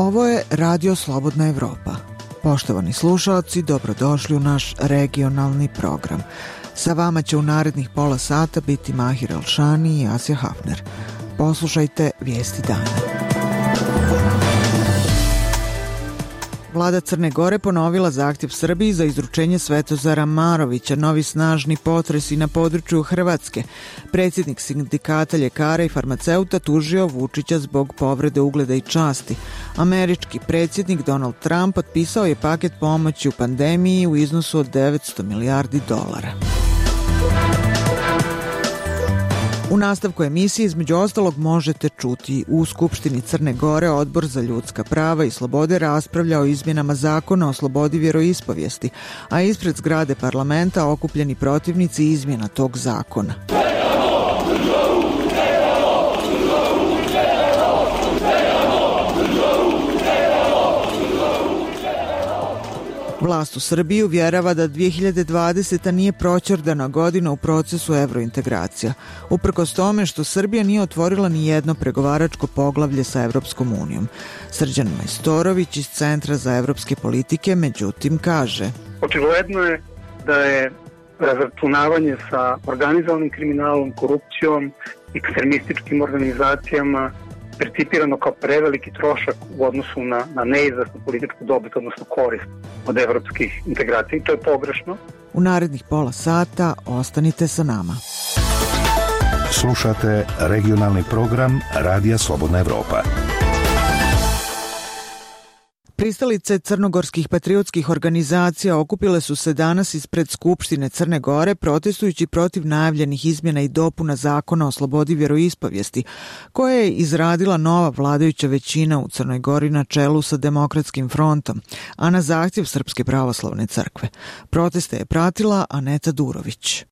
Ovo je Radio Slobodna Evropa. Poštovani slušaoci, dobrodošli u naš regionalni program. Sa vama će u narednih pola sata biti Mahir Elšani i Asja Hafner. Poslušajte vijesti dana. Vlada Crne Gore ponovila zahtjev Srbiji za izručenje Svetozara Marovića, novi snažni potresi na području Hrvatske. Predsjednik sindikata ljekara i farmaceuta tužio Vučića zbog povrede ugleda i časti. Američki predsjednik Donald Trump potpisao je paket pomoći u pandemiji u iznosu od $900 milijardi. U nastavku emisije između ostalog možete čuti: u Skupštini Crne Gore Odbor za ljudska prava i slobode raspravlja o izmjenama zakona o slobodi vjeroispovijesti, a ispred zgrade parlamenta okupljeni protivnici izmjena tog zakona. Vlast u Srbiji uvjerava da 2020. nije proćerdana godina u procesu evrointegracija, uprkos tome što Srbija nije otvorila ni jedno pregovaračko poglavlje sa Evropskom unijom. Srđan Majstorović iz Centra za evropske politike međutim kaže: očigledno je da je razračunavanje sa organizovanim kriminalom, korupcijom, ekstremističkim organizacijama percipirano kao preveliki trošak u odnosu na neizvesnu političku dobit, odnosno korist od evropskih integracija, i to je pogrešno. U narednih pola sata ostanite sa nama. Slušate regionalni program Radija Slobodna Evropa. Pristalice crnogorskih patriotskih organizacija okupile su se danas ispred Skupštine Crne Gore protestujući protiv najavljenih izmjena i dopuna zakona o slobodi vjeroispovijesti, koje je izradila nova vladajuća većina u Crnoj Gori na čelu sa Demokratskim frontom, a na zahtjev Srpske pravoslavne crkve. Proteste je pratila Aneta Durović.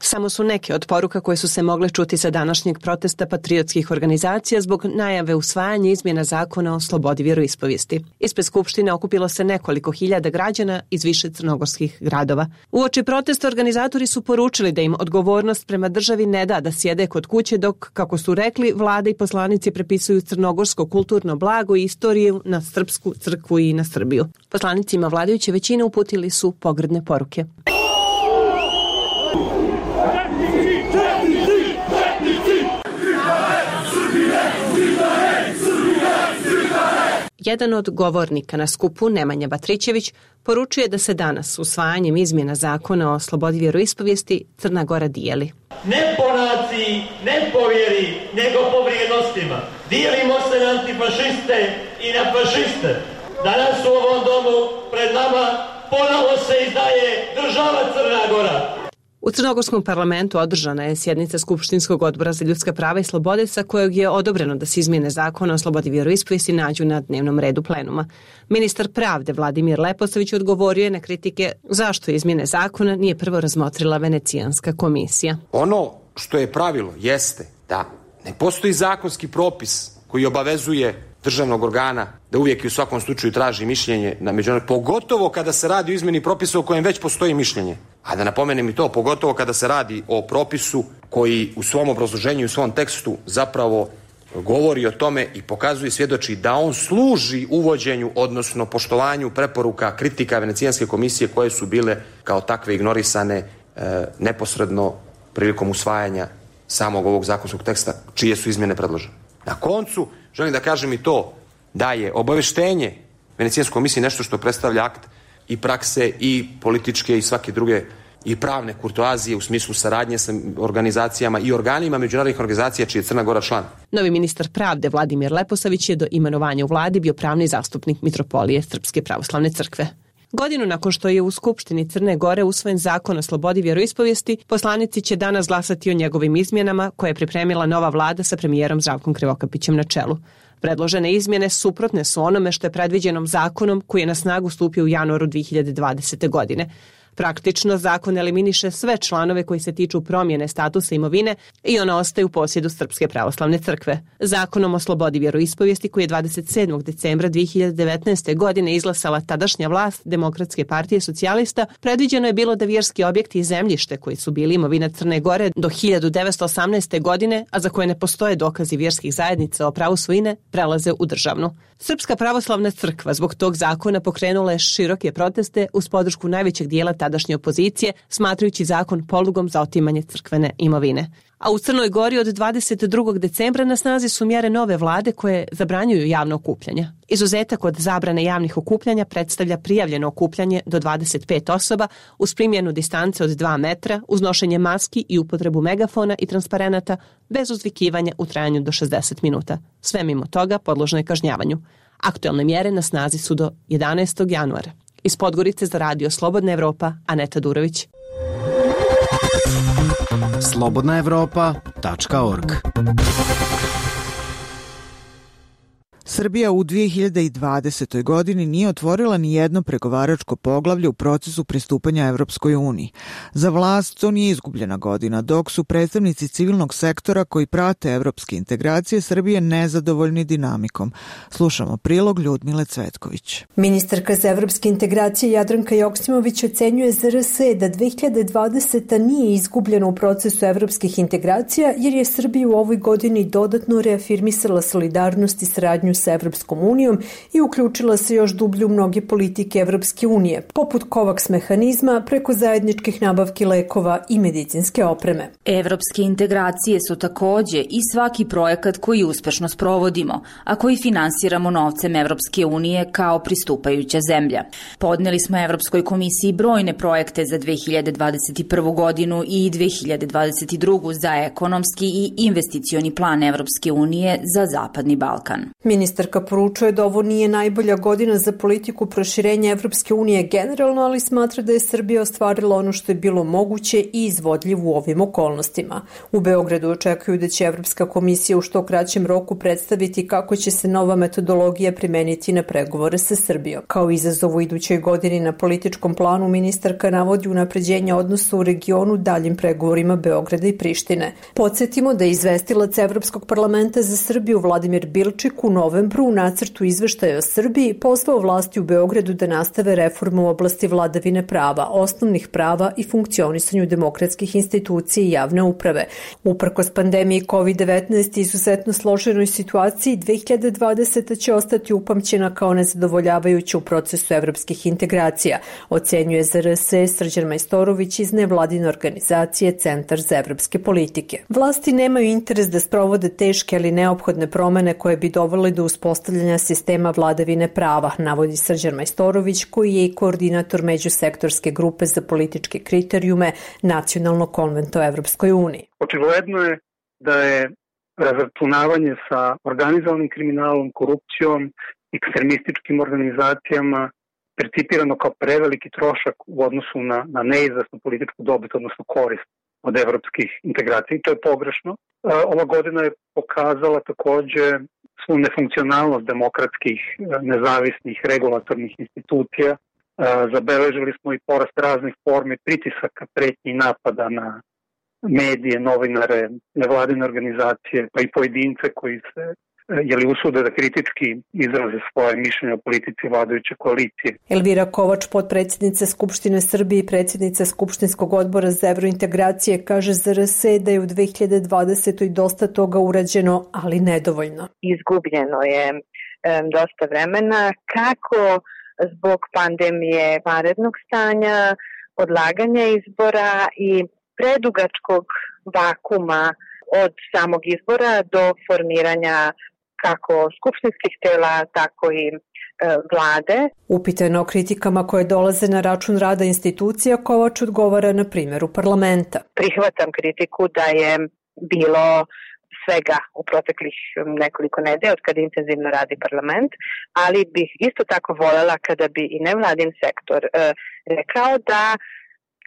Samo su neke od poruka koje su se mogle čuti sa današnjeg protesta patriotskih organizacija zbog najave usvajanja izmjena zakona o slobodi vjeroispovijesti. Ispred Skupštine okupilo se nekoliko hiljada građana iz više crnogorskih gradova. Uoči protesta organizatori su poručili da im odgovornost prema državi ne da da sjede kod kuće dok, kako su rekli, vlada i poslanici prepisuju crnogorsko kulturno blago i istoriju na srpsku crkvu i na Srbiju. Poslanicima vladajuće većine uputili su pogrdne poruke. Jedan od govornika na skupu, Nemanja Batrićević, poručuje da se danas usvajanjem izmjena zakona o slobodi vjeroispovijesti Crna Gora dijeli. Ne po naciji, ne po vjeri, nego po vrijednostima. Dijelimo se na antifašiste i na fašiste. Danas u ovom domu pred nama ponovo se izdaje država Crna Gora. U Crnogorskom parlamentu održana je sjednica Skupštinskog odbora za ljudska prava i slobode sa kojeg je odobreno da se izmjene zakona o slobodi vjeroispovijesti nađu na dnevnom redu plenuma. Ministar pravde Vladimir Leposavić odgovorio je na kritike zašto izmjene zakona nije prvo razmotrila Venecijanska komisija. Ono što je pravilo jeste da ne postoji zakonski propis koji obavezuje državnog organa da uvijek i u svakom slučaju traži mišljenje na međunarodnom, pogotovo kada se radi o izmjeni propisa o kojem već postoji mišljenje. A da napomenem i to, pogotovo kada se radi o propisu koji u svom obrazloženju i u svom tekstu zapravo govori o tome i pokazuje i svjedoči da on služi uvođenju, odnosno poštovanju preporuka kritika Venecijanske komisije koje su bile kao takve ignorisane neposredno prilikom usvajanja samog ovog zakonskog teksta čije su izmjene predložene. Na koncu želim da kažem i to da je obaveštenje Venecijanske komisije nešto što predstavlja akt i prakse i političke i svake druge i pravne kurtoazije u smislu saradnje sa organizacijama i organima međunarodnih organizacija čiji je Crna Gora član. Novi ministar pravde Vladimir Leposavić je do imenovanja u vladi bio pravni zastupnik Mitropolije Srpske pravoslavne crkve. Godinu nakon što je u Skupštini Crne Gore usvojen zakon o slobodi vjeroispovijesti, poslanici će danas glasati o njegovim izmjenama koje je pripremila nova vlada sa premijerom Zdravkom Krivokapićem na čelu. Predložene izmjene suprotne su onome što je predviđenom zakonom koji je na snagu stupio u januaru 2020. godine. Praktično, zakon eliminiše sve članove koji se tiču promjene statusa imovine i ona ostaje u posjedu Srpske pravoslavne crkve. Zakonom o slobodi vjeroispovijesti koji je 27. decembra 2019. godine izglasala tadašnja vlast Demokratske partije socijalista, predviđeno je bilo da vjerski objekti i zemljište koji su bili imovina Crne Gore do 1918. godine, a za koje ne postoje dokazi vjerskih zajednica o pravu svojine, prelaze u državnu. Srpska pravoslavna crkva zbog tog zakona pokrenula je široke proteste uz podršku najvećeg dijela tadašnje opozicije, smatrajući zakon polugom za otimanje crkvene imovine. A u Crnoj Gori od 22. decembra na snazi su mjere nove vlade koje zabranjuju javno okupljanje. Izuzetak od zabrane javnih okupljanja predstavlja prijavljeno okupljanje do 25 osoba uz primjenu distance od 2 metra, uz nošenje maski i upotrebu megafona i transparenata bez uzvikivanja u trajanju do 60 minuta. Sve mimo toga podložno je kažnjavanju. Aktuelne mjere na snazi su do 11. januara. Iz Podgorice za radio Slobodna Evropa, Aneta Durović. slobodnaevropa.org. Srbija u 2020. godini nije otvorila ni jedno pregovaračko poglavlje u procesu pristupanja Evropskoj uniji. Za vlast to nije izgubljena godina, dok su predstavnici civilnog sektora koji prate evropske integracije Srbije nezadovoljni dinamikom. Slušamo prilog Ljudmile Cvetković. Ministarka za evropske integracije Jadranka Joksimović ocenjuje za RS da 2020. nije izgubljena u procesu evropskih integracija jer je Srbija u ovoj godini dodatno reafirmisala solidarnost i saradnju sa Evropskom unijom i uključila se još dublje u mnoge politike Evropske unije, poput COVAX mehanizma preko zajedničkih nabavki lekova i medicinske opreme. Evropske integracije su takođe i svaki projekat koji uspešno sprovodimo, a koji finansiramo novcem Evropske unije kao pristupajuća zemlja. Podneli smo Evropskoj komisiji brojne projekte za 2021. godinu i 2022. za ekonomski i investicioni plan Evropske unije za Zapadni Balkan. Ministarka poručuje da ovo nije najbolja godina za politiku proširenja Evropske unije generalno, ali smatra da je Srbija ostvarila ono što je bilo moguće i izvodljivo u ovim okolnostima. U Beogradu očekuju da će Evropska komisija u što kraćem roku predstaviti kako će se nova metodologija primeniti na pregovore sa Srbijom. Kao izazov u idućoj godini na političkom planu ministarka navodi unapređenje odnosa u regionu daljim pregovorima Beograda i Prištine. Podsjetimo da je izvestilac Evropskog parlamenta za Srbiju Vladimir Bilčik u novembru u nacrtu izveštaja o Srbiji pozvao vlasti u Beogradu da nastave reformu u oblasti vladavine prava, osnovnih prava i funkcionisanju demokratskih institucija i javne uprave. Uprkos pandemiji COVID-19 i izuzetno složenoj situaciji, 2020. će ostati upamćena kao nezadovoljavajuća u procesu evropskih integracija, ocenjuje za RS Srđan Majstorović iz nevladine organizacije Centar za evropske politike. Vlasti nemaju interes da sprovode teške ali neophodne promene koje bi dovele do uspostavljanja sistema vladavine prava, navodi Srđan Majstorović, koji je i koordinator međusektorske grupe za političke kriterijume Nacionalnog konventa o Evropskoj uniji. Očigledno je da je razračunavanje sa organizovanim kriminalom, korupcijom, ekstremističkim organizacijama percipirano kao preveliki trošak u odnosu na neizvesnu političku dobit, odnosno korist od evropskih integracija. I to je pogrešno. Ova godina je pokazala takođe svu nefunkcionalnost demokratskih, nezavisnih, regulatornih institucija. Zabeležili smo i porast raznih formi pritisaka, pretnji i napada na medije, novinare, nevladine organizacije, pa i pojedince koji se usude da kritički izraze svoje mišljenje o politici vladajuće koalicije. Elvira Kovač, potpredsjednica Skupštine Srbije i predsjednica Skupštinskog odbora za evrointegracije, kaže za RS da je u 2020. dosta toga urađeno, ali nedovoljno. Izgubljeno je dosta vremena, kako zbog pandemije, vanrednog stanja, odlaganja izbora i predugačkog vakuma od samog izbora do formiranja kako skupštinskih tela, tako i vlade. Upitano o kritikama koje dolaze na račun rada institucija, Kovač odgovara na primjeru parlamenta. Prihvatam kritiku da je bilo svega u proteklih nekoliko nedelja od kada intenzivno radi parlament, ali bih isto tako voljela kada bi i nevladin sektor rekao da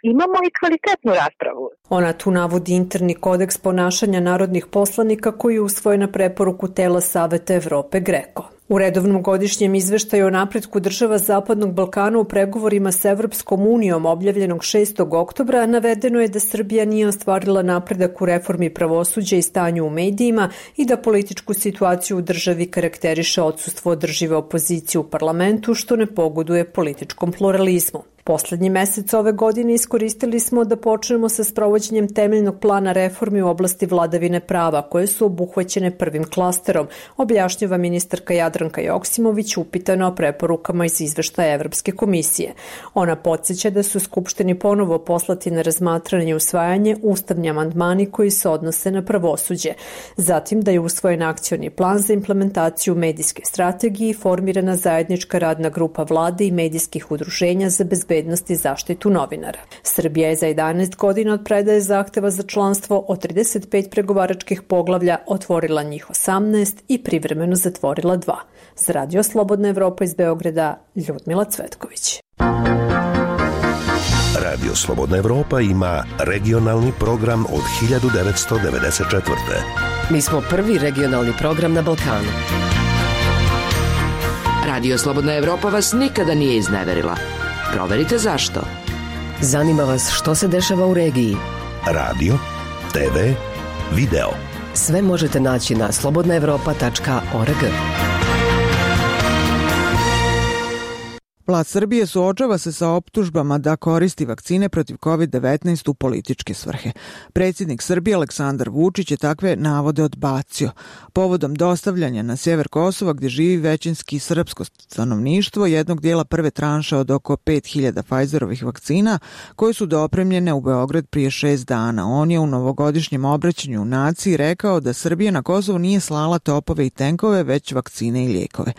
imamo i kvalitetnu raspravu. Ona tu navodi interni kodeks ponašanja narodnih poslanika koji je usvojen na preporuku tela Saveta Evrope GRECO. U redovnom godišnjem izveštaju o napretku država Zapadnog Balkana u pregovorima s Evropskom unijom objavljenog 6. oktobra navedeno je da Srbija nije ostvarila napredak u reformi pravosuđa i stanju u medijima i da političku situaciju u državi karakteriše odsustvo održive opozicije u parlamentu, što ne pogoduje političkom pluralizmu. Poslednji mesec ove godine iskoristili smo da počnemo sa sprovođenjem temeljnog plana reformi u oblasti vladavine prava, koje su obuhvaćene prvim klasterom, objašnjava ministarka Jadranka Joksimović upitana o preporukama iz izveštaja Evropske komisije. Ona podsjeća da su Skupštini ponovo poslati na razmatranje i usvajanje ustavni amandmani koji se odnose na pravosuđe. Zatim da je usvojen akcioni plan za implementaciju medijske strategije i formirana zajednička radna grupa vlade i medijskih udruženja za bezbednost i zaštitu novinara. Srbija je za 11 godina od predaje zahteva za članstvo od 35 pregovaračkih poglavlja otvorila njih 18 i privremeno zatvorila 2. Za Radio Slobodna Evropa iz Beograda, Ljudmila Cvetković. Radio Slobodna Evropa ima regionalni program od 1994. Mi smo prvi regionalni program na Balkanu. Radio Slobodna Evropa vas nikada nije izneverila. Proverite zašto. Zanima vas što se dešava u regiji. Radio, TV, video. Sve možete naći na slobodnaevropa.org. Vlast Srbije suočava se sa optužbama da koristi vakcine protiv COVID-19 u političke svrhe. Predsjednik Srbije Aleksandar Vučić je takve navode odbacio. Povodom dostavljanja na sjever Kosova, gdje živi većinski srpsko stanovništvo, jednog dijela prve tranše od oko 5000 Pfizerovih vakcina, koje su dopremljene u Beograd prije 6 dana. On je u novogodišnjem obraćanju naciji rekao da Srbija na Kosovo nije slala topove i tenkove, već vakcine i lijekove.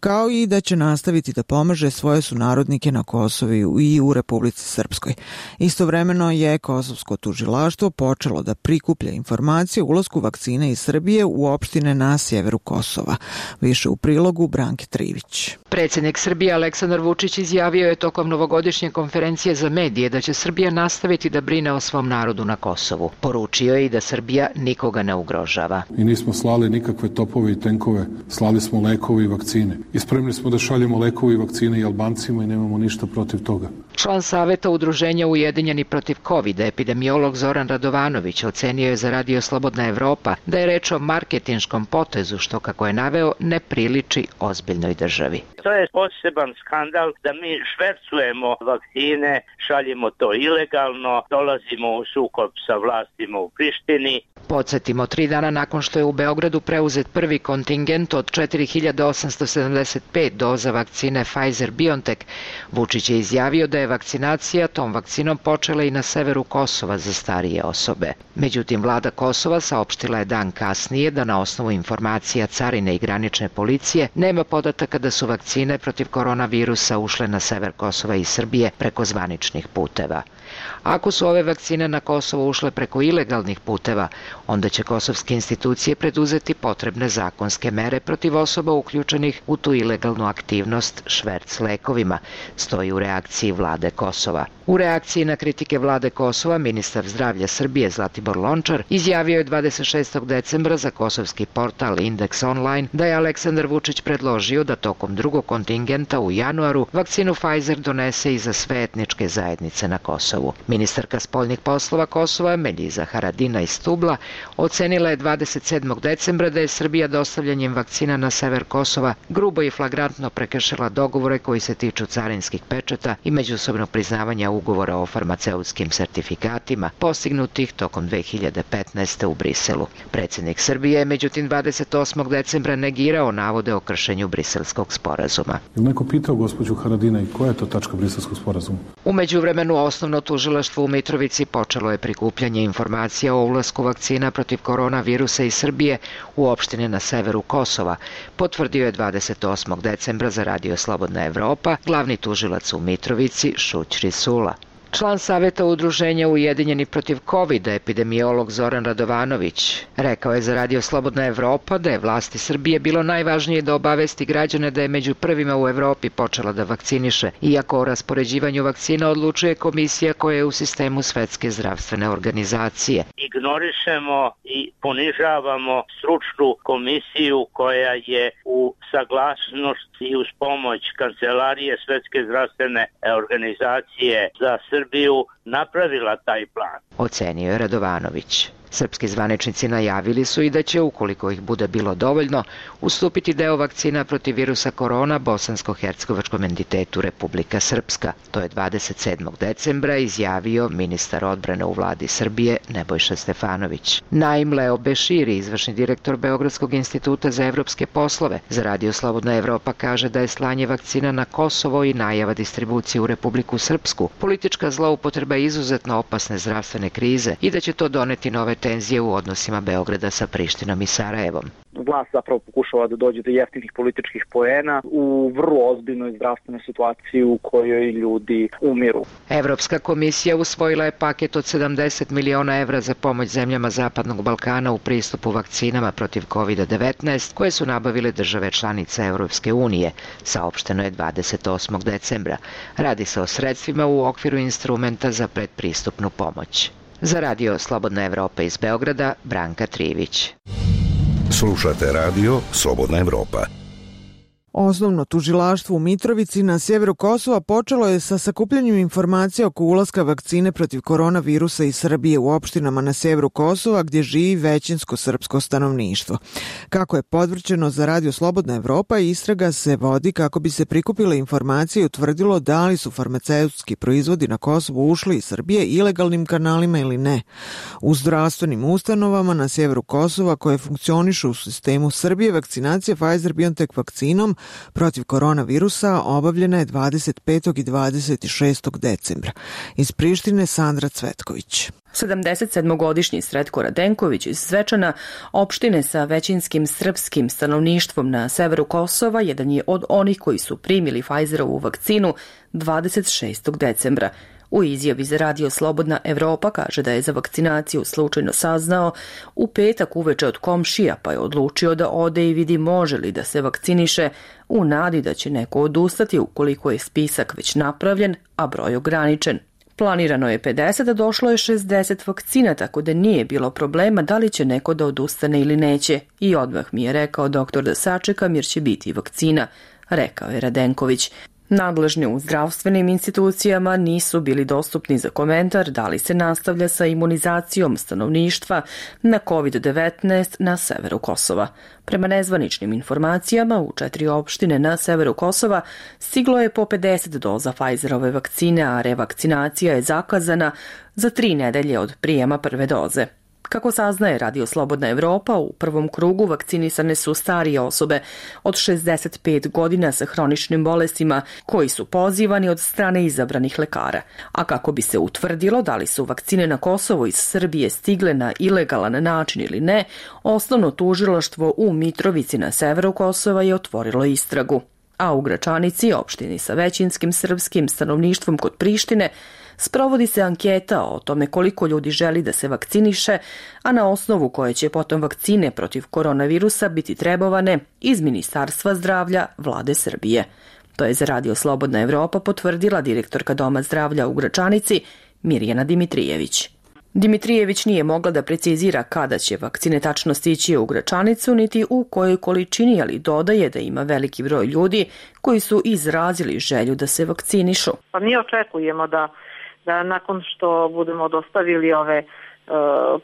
Kao i da će nastaviti da pomaže svoje sunarodnike na Kosovu i u Republici Srpskoj. Istovremeno je kosovsko tužilaštvo počelo da prikuplja informacije o ulasku vakcine iz Srbije u opštine na sjeveru Kosova. Više u prilogu Branke Trivić. Predsjednik Srbije Aleksandar Vučić izjavio je tokom novogodišnje konferencije za medije da će Srbija nastaviti da brine o svom narodu na Kosovu. Poručio je i da Srbija nikoga ne ugrožava. I nismo slali nikakve topove i tenkove, slali smo lekove i vakcine. I spremni smo da šaljemo lekove i vakcine i Albancima i nemamo ništa protiv toga. Član Saveta Udruženja Ujedinjeni protiv COVID-a, epidemiolog Zoran Radovanović, ocenio je za Radio Slobodna Evropa da je reč o marketinškom potezu, što, kako je naveo, ne priliči ozbiljnoj državi. To je poseban skandal da mi švercujemo vakcine, šaljemo to ilegalno, dolazimo u sukob sa vlastima u Prištini. Podsjetimo, 3 dana nakon što je u Beogradu preuzet prvi kontingent od 4875 doza vakcine Pfizer-BioNTech, Vučić je izjavio da je vakcinacija tom vakcinom počela i na severu Kosova za starije osobe. Međutim, vlada Kosova saopštila je dan kasnije da na osnovu informacija carine i granične policije nema podataka da su vakcine protiv koronavirusa ušle na sever Kosova i Srbije preko zvaničnih puteva. Ako su ove vakcine na Kosovo ušle preko ilegalnih puteva, onda će kosovske institucije preduzeti potrebne zakonske mere protiv osoba uključenih u tu ilegalnu aktivnost šverc lekovima, stoji u reakciji vlade Kosova. U reakciji na kritike vlade Kosova, ministar zdravlja Srbije Zlatibor Lončar izjavio je 26. decembra za kosovski portal Index Online da je Aleksandar Vučić predložio da tokom drugog kontingenta u januaru vakcinu Pfizer donese i za sve etničke zajednice na Kosovu. Ministarka spoljnih poslova Kosova Meljiza Haradina iz Stubla ocenila je 27. decembra da je Srbija dostavljanjem vakcina na sever Kosova grubo i flagrantno prekršila dogovore koji se tiču carinskih pečata i međusobnog priznavanja ugovora o farmaceutskim sertifikatima postignutih tokom 2015. u Briselu. Predsjednik Srbije je međutim 28. decembra negirao navode o kršenju briselskog sporazuma. Je li neko pitao gospođu Haradina i koja je to tačka briselskog sporazuma? U međuvremenu osnovno tužilaštvo u Mitrovici počelo je prikupljanje informacija o ulasku vakcina protiv koronavirusa iz Srbije u opštine na severu Kosova, potvrdio je 28. decembra za Radio Slobodna Evropa glavni tužilac u Mitrovici Šuć Risula. Član Saveta udruženja Ujedinjeni protiv COVID, epidemiolog Zoran Radovanović, rekao je za Radio Slobodna Evropa da je vlasti Srbije bilo najvažnije da obavesti građane da je među prvima u Evropi počela da vakciniše, iako o raspoređivanju vakcina odlučuje komisija koja je u sistemu Svetske zdravstvene organizacije. Ignorišemo i ponižavamo stručnu komisiju koja je u saglasnost i uz pomoć Kancelarije Svetske zdravstvene organizacije za Srbiju napravila taj plan. Ocenio je Radovanović. Srpski zvaničnici najavili su i da će, ukoliko ih bude bilo dovoljno, ustupiti deo vakcina protiv virusa korona bosansko-hercegovačkom entitetu Republika Srpska. To je 27. decembra izjavio ministar odbrane u vladi Srbije Nebojša Stefanović. Naim Leo Beširi, izvršni direktor Beogradskog instituta za evropske poslove, za Radio Slobodna Evropa kaže da je slanje vakcina na Kosovo i najava distribucije u Republiku Srpsku politička zloupotreba izuzetno opasne zdravstvene krize i da će to doneti nove tenzije u odnosima Beograda sa Prištinom i Sarajevom. Vlast zapravo pokušava da dođe do jeftinih političkih poena u vrlo ozbiljnoj zdravstvenoj situaciji u kojoj ljudi umiru. Evropska komisija usvojila je paket od 70 miliona evra za pomoć zemljama Zapadnog Balkana u pristupu vakcinama protiv COVID-19 koje su nabavile države članice Evropske unije, saopšteno je 28. decembra. Radi se o sredstvima u okviru instrumenta za predpristupnu pomoć. Za Radio Slobodna Evropa iz Beograda, Branka Trivić. Slušate Radio Slobodna Evropa. Osnovno tužilaštvo u Mitrovici na sjeveru Kosova počelo je sa sakupljanjem informacija oko ulaska vakcine protiv koronavirusa iz Srbije u opštinama na sjeveru Kosova gdje živi većinsko srpsko stanovništvo. Kako je podvrćeno za Radio Slobodna Evropa, istraga se vodi kako bi se prikupile informacije i utvrdilo da li su farmaceutski proizvodi na Kosovu ušli iz Srbije ilegalnim kanalima ili ne. U zdravstvenim ustanovama na sjeveru Kosova koje funkcionišu u sistemu Srbije, vakcinacija Pfizer-BioNTech vakcinom protiv koronavirusa obavljena je 25. i 26. decembra. Iz Prištine Sandra Cvetković. 77-godišnji Sretko Radenković iz Zvečana, opštine sa većinskim srpskim stanovništvom na severu Kosova, jedan je od onih koji su primili Pfizerovu vakcinu 26. decembra. U izjavi za Radio Slobodna Evropa kaže da je za vakcinaciju slučajno saznao u petak uveče od komšija, pa je odlučio da ode i vidi može li da se vakciniše u nadi da će neko odustati ukoliko je spisak već napravljen, a broj ograničen. Planirano je 50, a došlo je 60 vakcina, tako da nije bilo problema da li će neko da odustane ili neće. I odmah mi je rekao doktor da sačekam jer će biti vakcina, rekao je Radenković. Nadležni u zdravstvenim institucijama nisu bili dostupni za komentar da li se nastavlja sa imunizacijom stanovništva na COVID-19 na severu Kosova. Prema nezvaničnim informacijama, u 4 opštine na severu Kosova stiglo je po 50 doza Pfizerove vakcine, a revakcinacija je zakazana za 3 nedelje od prijema prve doze. Kako saznaje Radio Slobodna Evropa, u prvom krugu vakcinisane su starije osobe od 65 godina sa hroničnim bolestima koji su pozivani od strane izabranih lekara. A kako bi se utvrdilo da li su vakcine na Kosovo iz Srbije stigle na ilegalan način ili ne, osnovno tužilaštvo u Mitrovici na severu Kosova je otvorilo istragu. A u Gračanici, opštini sa većinskim srpskim stanovništvom kod Prištine, sprovodi se anketa o tome koliko ljudi želi da se vakciniše, a na osnovu koje će potom vakcine protiv koronavirusa biti trebovane iz Ministarstva zdravlja Vlade Srbije. To je za Radio Slobodna Evropa potvrdila direktorka Doma zdravlja u Gračanici Mirjana Dimitrijević. Dimitrijević nije mogla da precizira kada će vakcine tačno stići u Gračanicu, niti u kojoj količini, ali dodaje da ima veliki broj ljudi koji su izrazili želju da se vakcinišu. Pa mi očekujemo da nakon što budemo dostavili ove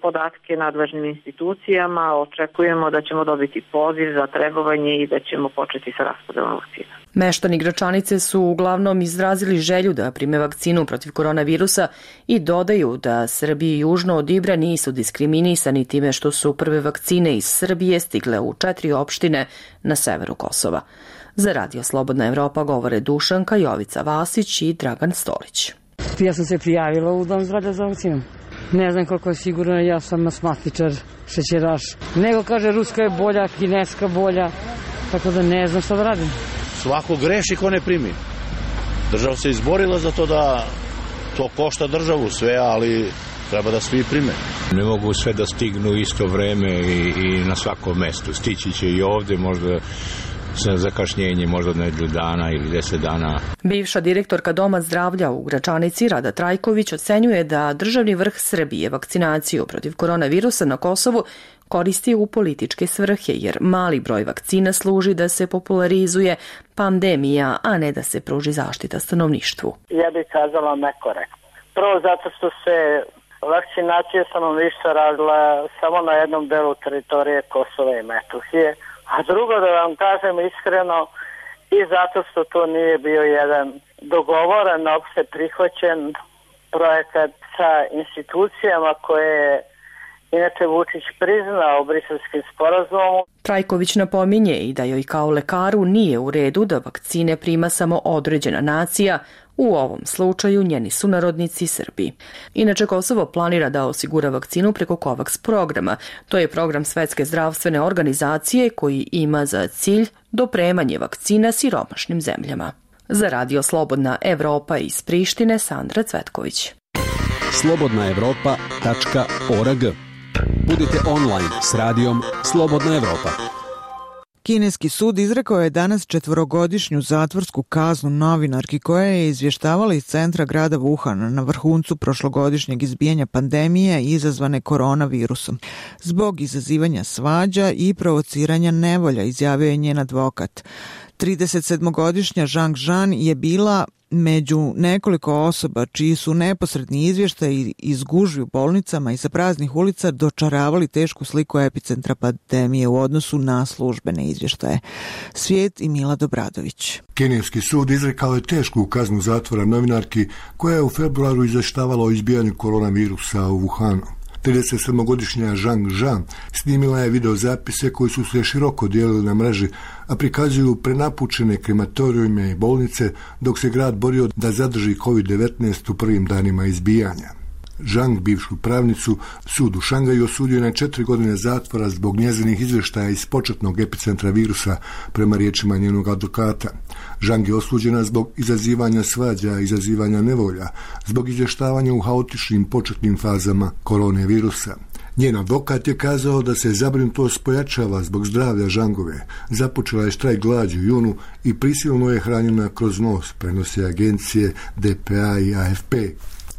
podatke nadležnim institucijama, očekujemo da ćemo dobiti poziv za trebovanje i da ćemo početi sa raspodelom vakcina. Meštani Gračanice su uglavnom izrazili želju da prime vakcinu protiv koronavirusa i dodaju da Srbiji južno od Ibra nisu diskriminisani time što su prve vakcine iz Srbije stigle u 4 opštine na severu Kosova. Za Radio Slobodna Evropa govore Dušanka, Jovica Vasić i Dragan Stolić. Ja sam se prijavila u Dom zdravlja za vakcinu. Ne znam koliko je sigurno, ja sam astmatičar, šećeraš. Nego kaže ruska je bolja, kineska bolja, tako da ne znam šta da radim. Svako greši ko ne primi. Država se izborila za to To košta državu sve, ali treba da svi prime. Ne mogu sve da stignu isto vreme i na svakom mestu. Stići će i ovde, možda sa zakašnjenjem, možda nedelju dana ili 10 dana. Bivša direktorka Doma zdravlja u Gračanici, Rada Trajković, ocenjuje da državni vrh Srbije vakcinaciju protiv koronavirusa na Kosovu koristi u političke svrhe, jer mali broj vakcina služi da se popularizuje pandemija, a ne da se pruži zaštita stanovništvu. Ja bih kazala nekorektno. Prvo zato što se vakcinacija stanovništva radila samo na jednom delu teritorije Kosova i Metohije, a drugo da vam kažem iskreno i zato što to nije bio jedan dogovoren, opšte prihvaćen projekat sa institucijama koje je inače Vučić priznao Briselskim sporazumom. Trajković napominje i da joj kao lekaru nije u redu da vakcine prima samo određena nacija, u ovom slučaju njeni sunarodnici Srbi. Inače, Kosovo planira da osigura vakcinu preko COVAX programa. To je program Svetske zdravstvene organizacije koji ima za cilj dopremanje vakcina siromašnim zemljama. Za Radio Slobodna Evropa iz Prištine, Sandra Cvetković. slobodnaevropa.org. Budite online s radijom Slobodna Evropa. Kineski sud izrekao je danas 4-godišnju zatvorsku kaznu novinarki koja je izvještavala iz centra grada Wuhan na vrhuncu prošlogodišnjeg izbijanja pandemije izazvane koronavirusom. Zbog izazivanja svađa i provociranja nevolja, izjavio je njen advokat. 37-godišnja Zhang Zhan je bila među nekoliko osoba čiji su neposredni izvještaji iz gužvi u bolnicama i sa praznih ulica dočaravali tešku sliku epicentra pandemije u odnosu na službene izvještaje. Svijet i Mila Dobradović. Kineski sud izrekao je tešku kaznu zatvora novinarki koja je u februaru izvještavala o izbijanju koronavirusa u Wuhanu. 37-godišnja Zhang Zhan snimila je videozapise koji su se široko dijelili na mreži, a prikazuju prenapučene krematorijume i bolnice dok se grad borio da zadrži COVID-19 u prvim danima izbijanja. Zhang, bivšu pravnicu, sud u Šangaju osudio na 4 godine zatvora zbog njezinih izvještaja iz početnog epicentra virusa, prema riječima njenog advokata. Zhang je osuđena zbog izazivanja svađa, izazivanja nevolja, zbog izvještavanja u haotičnim početnim fazama koronavirusa. Njen advokat je kazao da se zabrinutost pojačava zbog zdravlja Zhangove. Započela je štrajk glađu u junu i prisilno je hranjena kroz nos, prenose agencije DPA i AFP.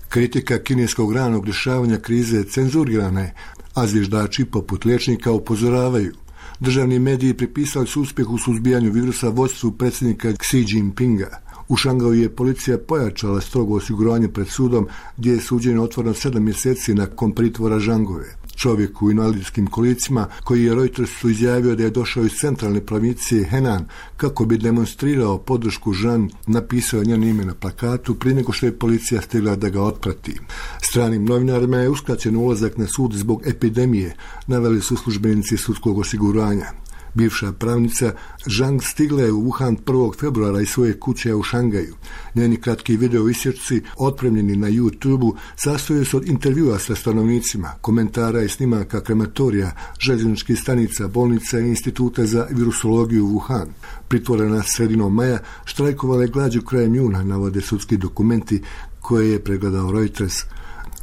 Kritika kineskog ranog rješavanja krize cenzurirana je, a zviždači poput liječnika upozoravaju. Državni mediji pripisali su uspjeh u suzbijanju virusa vodstvu predsjednika Xi Jinpinga. U Šangaju je policija pojačala strogo osiguranje pred sudom, gdje je suđenje otvoreno 7 mjeseci nakon pritvora Zhangove. Čovjek u invalidskim kolicima, koji je Reutersu izjavio da je došao iz centralne provincije Henan kako bi demonstrirao podršku Zhan, napisao je njeno ime na plakatu prije nego što je policija stigla da ga otprati. Stranim novinarima je uskraćen ulazak na sud zbog epidemije, naveli su službenici sudskog osiguranja. Bivša pravnica Zhang stigla je u Wuhan 1. februara iz svoje kuće u Šangaju. Njeni kratki video isječci, otpremljeni na YouTube-u, sastoje se od intervjua sa stanovnicima, komentara i snimaka krematorija, željezničkih stanica, bolnica i instituta za virusologiju u Wuhan. Pritvorena sredinom maja, štrajkovala je glađu krajem juna, navode sudski dokumenti koje je pregledao Reuters.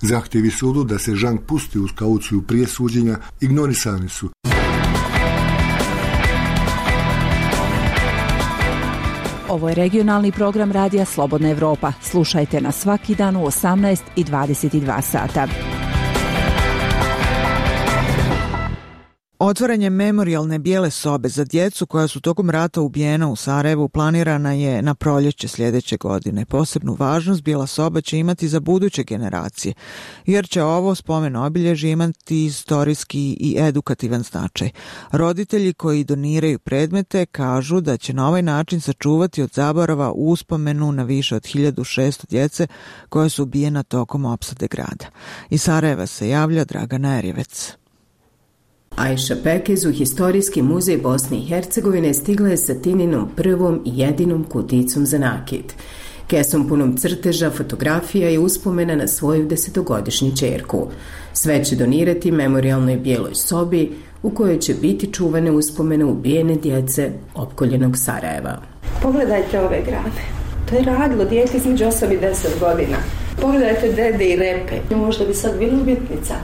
Zahtjevi sudu da se Zhang pusti uz kauciju prije suđenja ignorisani su. Ovo je regionalni program Radija Slobodna Evropa. Slušajte nas svaki dan u 18 i 22 sata. Otvaranje memorijalne bijele sobe za djecu koja su tokom rata ubijena u Sarajevu planirana je na proljeće sljedeće godine. Posebnu važnost bijela soba će imati za buduće generacije, jer će ovo spomen obilježje imati istorijski i edukativan značaj. Roditelji koji doniraju predmete kažu da će na ovaj način sačuvati od zaborava uspomenu na više od 1600 djece koja su ubijena tokom opsade grada. Iz Sarajeva se javlja Dragana Erjevec. Ajša Pekez u Historijski muzej Bosne i Hercegovine stigla je sa Tininom prvom i jedinom kuticom za nakit. Kesom punom crteža, fotografija i uspomena na svoju 10-godišnju ćerku. Sve će donirati memorijalnoj bijeloj sobi u kojoj će biti čuvane uspomene ubijene djece opkoljenog Sarajeva. Pogledajte ove grave. To je radilo dijete između 8 i 10 godina. Pogledajte dede i repe. Možda bi sad bila umjetnica.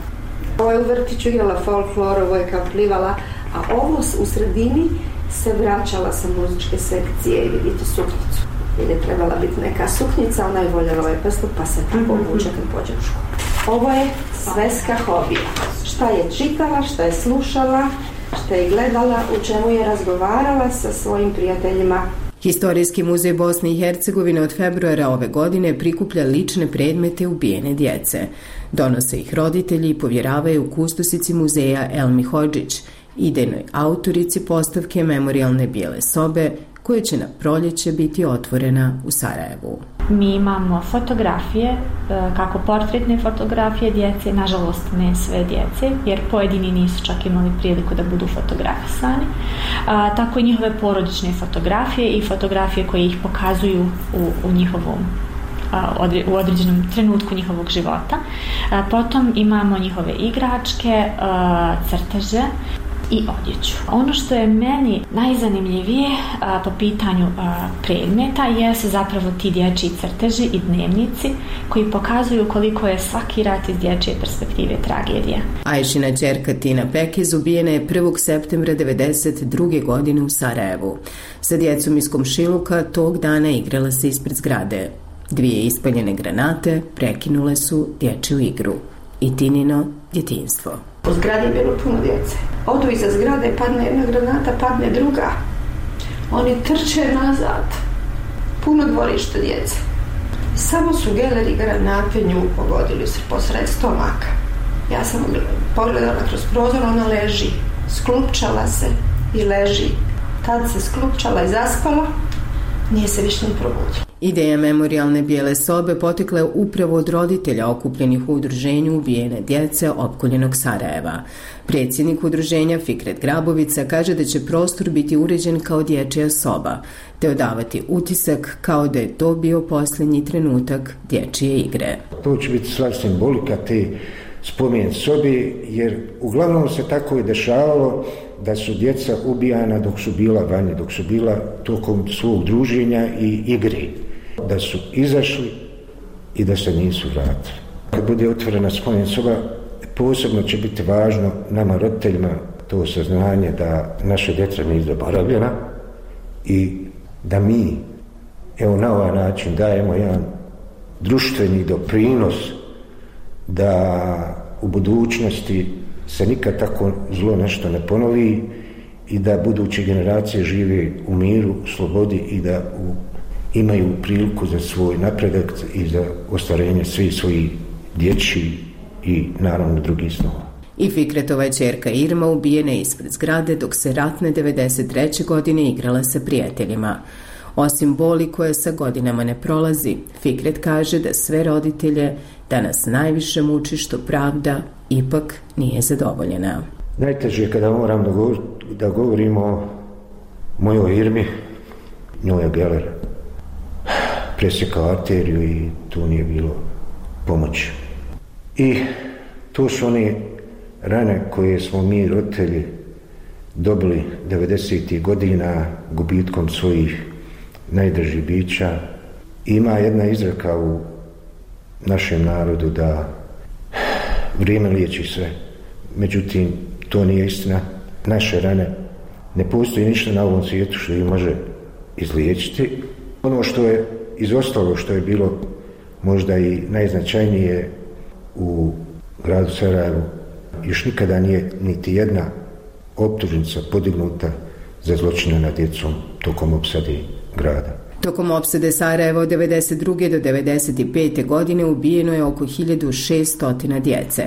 Ovo je u vrtiću igrala folklor, ovo je kao plivala, a ovo u sredini se vraćala sa muzičke sekcije i vidite suknicu. Jer je trebala biti neka suknica, ona je voljela ovaj prstup, pa se tako obuče kad pođe u školu. Ovo je sveska hobija. Šta je čitala, šta je slušala, šta je gledala, u čemu je razgovarala sa svojim prijateljima. Historijski muzej Bosne i Hercegovine od februara ove godine prikuplja lične predmete ubijene djece. Donose ih roditelji i povjeravaju kustosici muzeja Elmi Hodžić, idejnoj autorici postavke memorijalne bijele sobe, koja će na proljeće biti otvorena u Sarajevu. Mi imamo fotografije, kako portretne fotografije djece, nažalost ne sve djece, jer pojedini nisu čak imali priliku da budu fotografisani, tako i njihove porodične fotografije i fotografije koje ih pokazuju u njihovom u određenom trenutku njihovog života. Potom imamo njihove igračke, crteže i odjeću. Ono što je meni najzanimljivije po pitanju predmeta jesu zapravo ti dječji crteži i dnevnici koji pokazuju koliko je svaki rat iz dječje perspektive tragedija. Ajšina ćerka Tina Pekez ubijena je 1. septembra 1992. godine u Sarajevu. Sa djecom iz komšiluka tog dana igrala se ispred zgrade. 2 ispaljene granate prekinule su dječju igru i Tinino djetinjstvo. U zgradi je bilo puno djece. Odu iza zgrade, padne jedna granata, padne druga. Oni trče nazad. Puno dvorište djece. Samo su geleri granate nju pogodili se posred stomaka. Ja sam pogledala kroz prozor, ona leži. Sklupčala se i leži. Tad se sklupčala i zaspala. Nije se više ni probudila. Ideja memorijalne bijele sobe potekla je upravo od roditelja okupljenih u udruženju ubijene djece opkoljenog Sarajeva. Predsjednik udruženja Fikret Grabovica kaže da će prostor biti uređen kao dječja soba, te odavati utisak kao da je to bio posljednji trenutak dječje igre. To će biti sva simbolika te spomen sobi, jer uglavnom se tako je dešavalo da su djeca ubijana dok su bila vanje, dok su bila tokom svog druženja i igre. Da su izašli i da se nisu vratili. Kad bude otvorena spomen soba, posebno će biti važno nama roditeljima to saznanje da naša djeca nisu zaboravljena i da mi na ovaj način dajemo jedan društveni doprinos da u budućnosti se nikad tako zlo nešto ne ponovi i da buduće generacije žive u miru, slobodi i da imaju priliku za svoj napredak i za ostvarenje svih svojih dječjih i naravno drugih snova. I Fikretova ćerka Irma ubijena je ispred zgrade dok se ratne 1993. godine igrala sa prijateljima. Osim boli koja sa godinama ne prolazi, Fikret kaže da sve roditelje danas najviše muči što pravda ipak nije zadovoljena. Najteže je kada moram da govorimo o mojoj Irmi, njoj je geler presjekao arteriju i tu nije bilo pomoći. I to su one rane koje smo mi roditelji dobili 90. godina gubitkom svojih najdražih bića. Ima jedna izreka u našem narodu da vrijeme liječi sve. Međutim, to nije istina. Naše rane, ne postoji ništa na ovom svijetu što ih može izliječiti. Ono što je izostalo, što je bilo možda i najznačajnije u gradu Sarajevu, još nikada nije niti jedna optužnica podignuta za zločine nad djecom tokom opsade grada. Tokom opsade Sarajeva od 1992. do 1995. godine ubijeno je oko 1600 djece.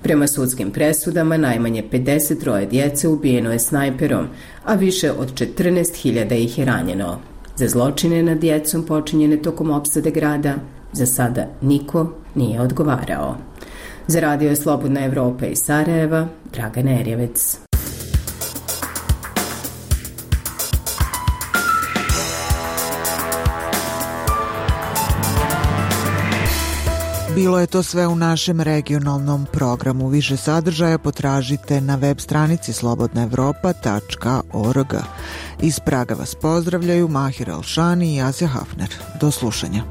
Prema sudskim presudama najmanje 53 djece ubijeno je snajperom, a više od 14.000 ih je ranjeno. Za zločine nad djecom počinjene tokom opsade grada za sada niko nije odgovarao. Za Radio Slobodna Evropa iz Sarajeva, Dragana Erjevec. Bilo je to sve u našem regionalnom programu. Više sadržaja potražite na web stranici slobodnaevropa.org. Iz Praga vas pozdravljaju Mahir Alšani i Asja Hafner. Do slušanja.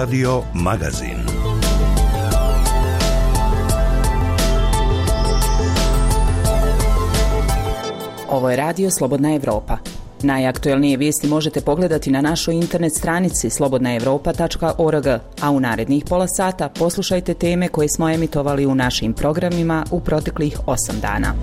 Radio Magazin. Ovo je Radio Slobodna Evropa. Najaktuelnije vijesti možete pogledati na našoj internet stranici slobodnaevropa.org, a u narednih pola sata poslušajte teme koje smo emitovali u našim programima u proteklih 8 dana.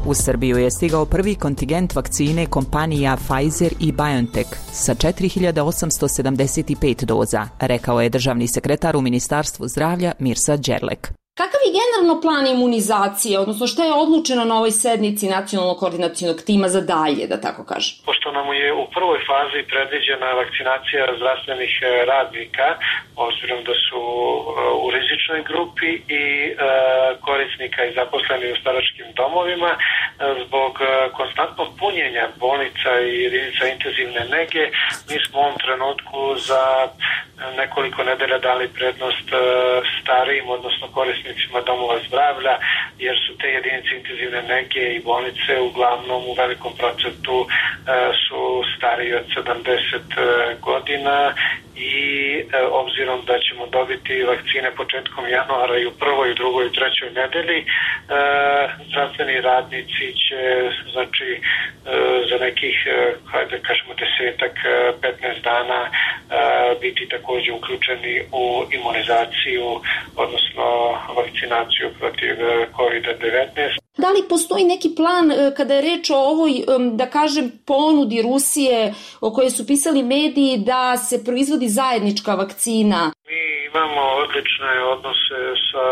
U Srbiju je stigao prvi kontingent vakcine kompanija Pfizer i BioNTech sa 4875 doza, rekao je državni sekretar u Ministarstvu zdravlja Mirsa Đerlek. Kakav je generalno plan imunizacije, odnosno šta je odlučeno na ovoj sednici nacionalnog koordinacionog tima za dalje, da tako kažem? Pošto nam je u prvoj fazi predviđena vakcinacija zdravstvenih radnika, obzirom da su u rizičnoj grupi i korisnika i zaposleni u staračkim domovima, zbog konstantnog punjenja bolnica i jedinica intenzivne nege, mi smo u ovom trenutku za nekoliko nedelja dali prednost starijim, odnosno korisnicima domova zdravlja, jer su te jedinice intenzivne nege i bolnice uglavnom u velikom procentu su stariji od 70 godina i obzirom da ćemo dobiti vakcine početkom januara i u prvoj, i drugoj i trećoj nedelji, zdravstveni radnici će, znači, za nekih, hajde kažemo 10-15 dana biti također uključeni u imunizaciju, odnosno vakcinaciju protiv COVID-19. Da li postoji neki plan kada je reč o ovoj, da kažem, ponudi Rusije o kojoj su pisali mediji da se proizvodi zajednička vakcina? Mi imamo odlične odnose sa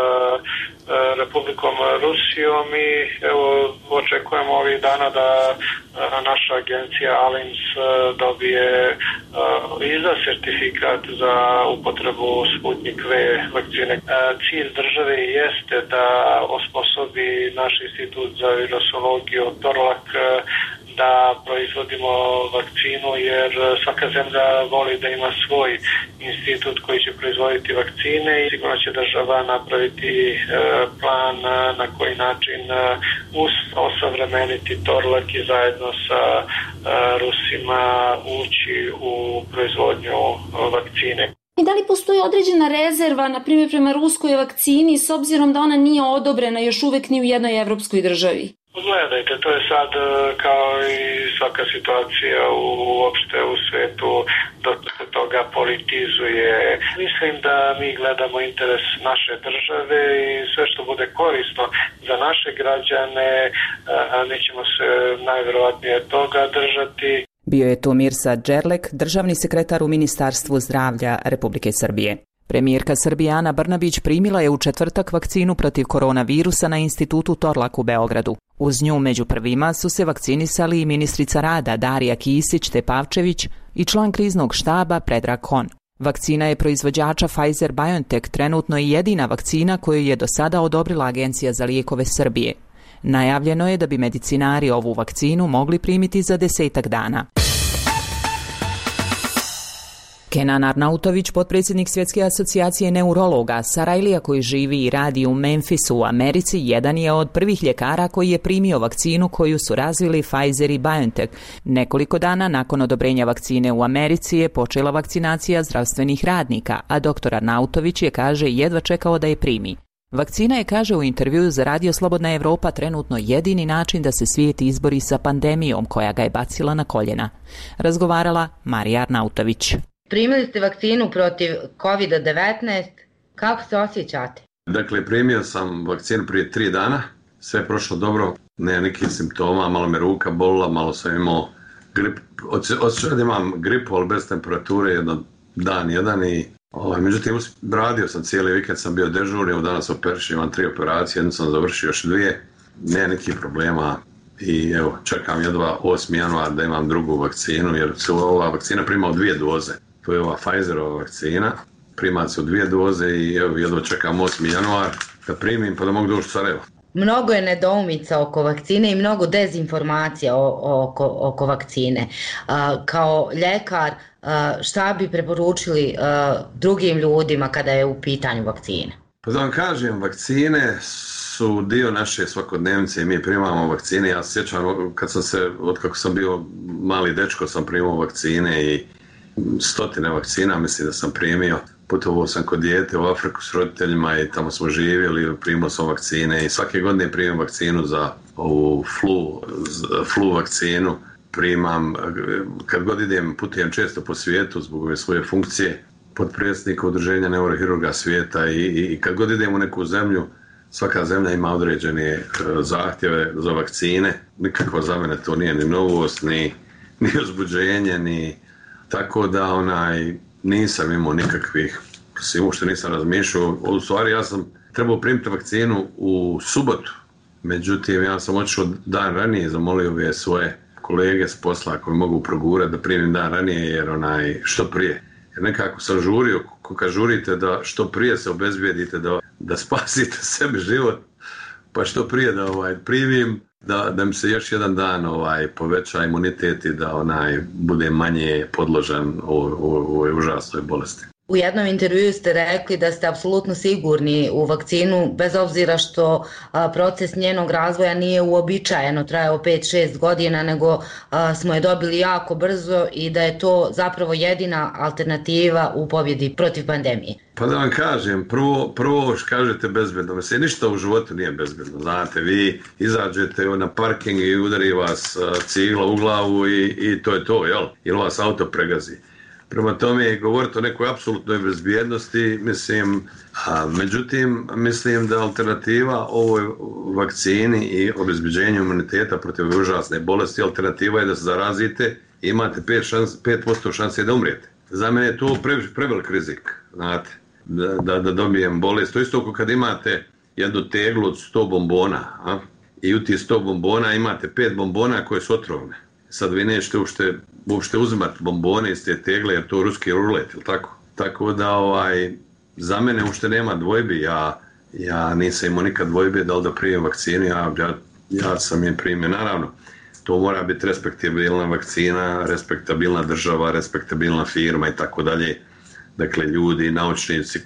Republikom Rusijom i evo očekujemo ovih dana da naša agencija ALIMS dobije izda sertifikat za upotrebu Sputnik V vakcine. Cilj države jeste da osposobi naš institut za virusologiju Torlak da proizvodimo vakcinu, jer svaka zemlja voli da ima svoj institut koji će proizvoditi vakcine i sigurno će država napraviti plan na koji način osavremeniti Torlak i zajedno sa Rusima ući u proizvodnju vakcine. I da li postoji određena rezerva, na primjer prema ruskoj vakcini, s obzirom da ona nije odobrena još uvek ni u jednoj evropskoj državi? Gledajte, to je sad kao i svaka situacija uopšte u svetu, dosta se toga politizuje. Mislim da mi gledamo interes naše države i sve što bude korisno za naše građane, mi ćemo se najverovatnije toga držati. Bio je to Mirsa Đerlek, državni sekretar u Ministarstvu zdravlja Republike Srbije. Premijerka Srbije Ana Brnabić primila je u četvrtak vakcinu protiv koronavirusa na institutu Torlak u Beogradu. Uz nju među prvima su se vakcinisali i ministrica rada Darija Kisić-Tepavčević i član kriznog štaba Predrag Kon. Vakcina je proizvođača Pfizer-BioNTech trenutno i jedina vakcina koju je do sada odobrila Agencija za lijekove Srbije. Najavljeno je da bi medicinari ovu vakcinu mogli primiti za 10 dana. Kenan Arnautović, potpredsjednik Svjetske asocijacije neurologa, Sarajlija koji živi i radi u Memphisu u Americi, jedan je od prvih ljekara koji je primio vakcinu koju su razvili Pfizer i BioNTech. Nekoliko dana nakon odobrenja vakcine u Americi je počela vakcinacija zdravstvenih radnika, a dr. Arnautović je, kaže, jedva čekao da je primi. Vakcina je, kaže u intervjuu za Radio Slobodna Evropa, trenutno jedini način da se svijet izbori sa pandemijom koja ga je bacila na koljena. Razgovarala Marija Arnautović. Primili ste vakcinu protiv COVID-19, kako se osjećate? Dakle, primio sam vakcinu prije 3 dana, sve je prošlo dobro, nema nekih simptoma, malo me ruka bolila, malo sam imao grip, osjećao da imam gripu, ali bez temperature, dan jedan i međutim, radio sam cijeli vikend, sam bio dežurni, evo danas operišem, imam 3 operacije, jednu sam završio, još 2, nema nekih problema i evo, čekam jedva 8. januar da imam drugu vakcinu, jer se ova vakcina prima u 2 doze. To je ova Pfizerova vakcina, prima se u 2 doze i evo, jedva čekam 8. januar da primim pa da mogu doći u Sarajevo. Mnogo je nedoumica oko vakcine i mnogo dezinformacija oko vakcine. Kao ljekar, šta bi preporučili drugim ljudima kada je u pitanju vakcine? Pa da vam kažem, vakcine su dio naše svakodnevnice i mi primamo vakcine. Ja se sjećam otkako sam bio mali dečko sam primao vakcine i stotine vakcina mislim da sam primio. Putovao sam kod dijete u Afriku s roditeljima i tamo smo živjeli, primao sam vakcine i svake godine primam vakcinu za ovu flu vakcinu. Primam, kad god idem, putujem često po svijetu zbog ove svoje funkcije potpredsjednika Udruženja neurohirurga svijeta i kad god idem u neku zemlju, svaka zemlja ima određene zahtjeve za vakcine. Nikakva za mene to nije ni novost, ni uzbuđenje, ni tako da nisam imao nikakvih, uopšte nisam razmišljao. U stvari ja sam trebao primiti vakcinu u subotu, međutim ja sam otišao dan ranije, zamolio ove svoje kolege s posla koji mogu progurati da primim dan ranije jer što prije. Jer nekako sam žurio, kad žurite da što prije se obezbijedite da spasite sebi život, pa što prije da primim, da mi se još jedan dan poveća imunitet i da bude manje podložan ovoj užasnoj bolesti. U jednom intervjuu ste rekli da ste apsolutno sigurni u vakcinu, bez obzira što proces njenog razvoja nije uobičajeno trajao 5-6 godina, nego smo je dobili jako brzo i da je to zapravo jedina alternativa u pobjedi protiv pandemije. Pa da vam kažem, prvo kažete bezbedno. Mislim, ništa u životu nije bezbedno. Znate, vi izađete na parking i udari vas cigla u glavu i to je to, jel? Ili vas auto pregazi. Prema tome, govoriti o nekoj apsolutnoj bezbjednosti, međutim, mislim da alternativa ovoj vakcini i obezbeđenju imuniteta protiv užasne bolesti, alternativa je da se zarazite i imate 5% šanse da umrijete. Za mene je to prevelik rizik, znate, da dobijem bolest. To isto ako kad imate jednu teglu od 100 bombona, i u tih 100 bombona imate 5 bombona koje su otrovne. Sad vi nećete uopšte uzimati bombone iz te tegle jer to je ruski rulet, ili tako? Tako da za mene uopšte nema dvojbi, ja nisam imao nikad dvojbe da li da primim vakcinu, ja sam je primio. Naravno, to mora biti respektabilna vakcina, respektabilna država, respektabilna firma i tako dalje. Dakle, ljudi, naučnici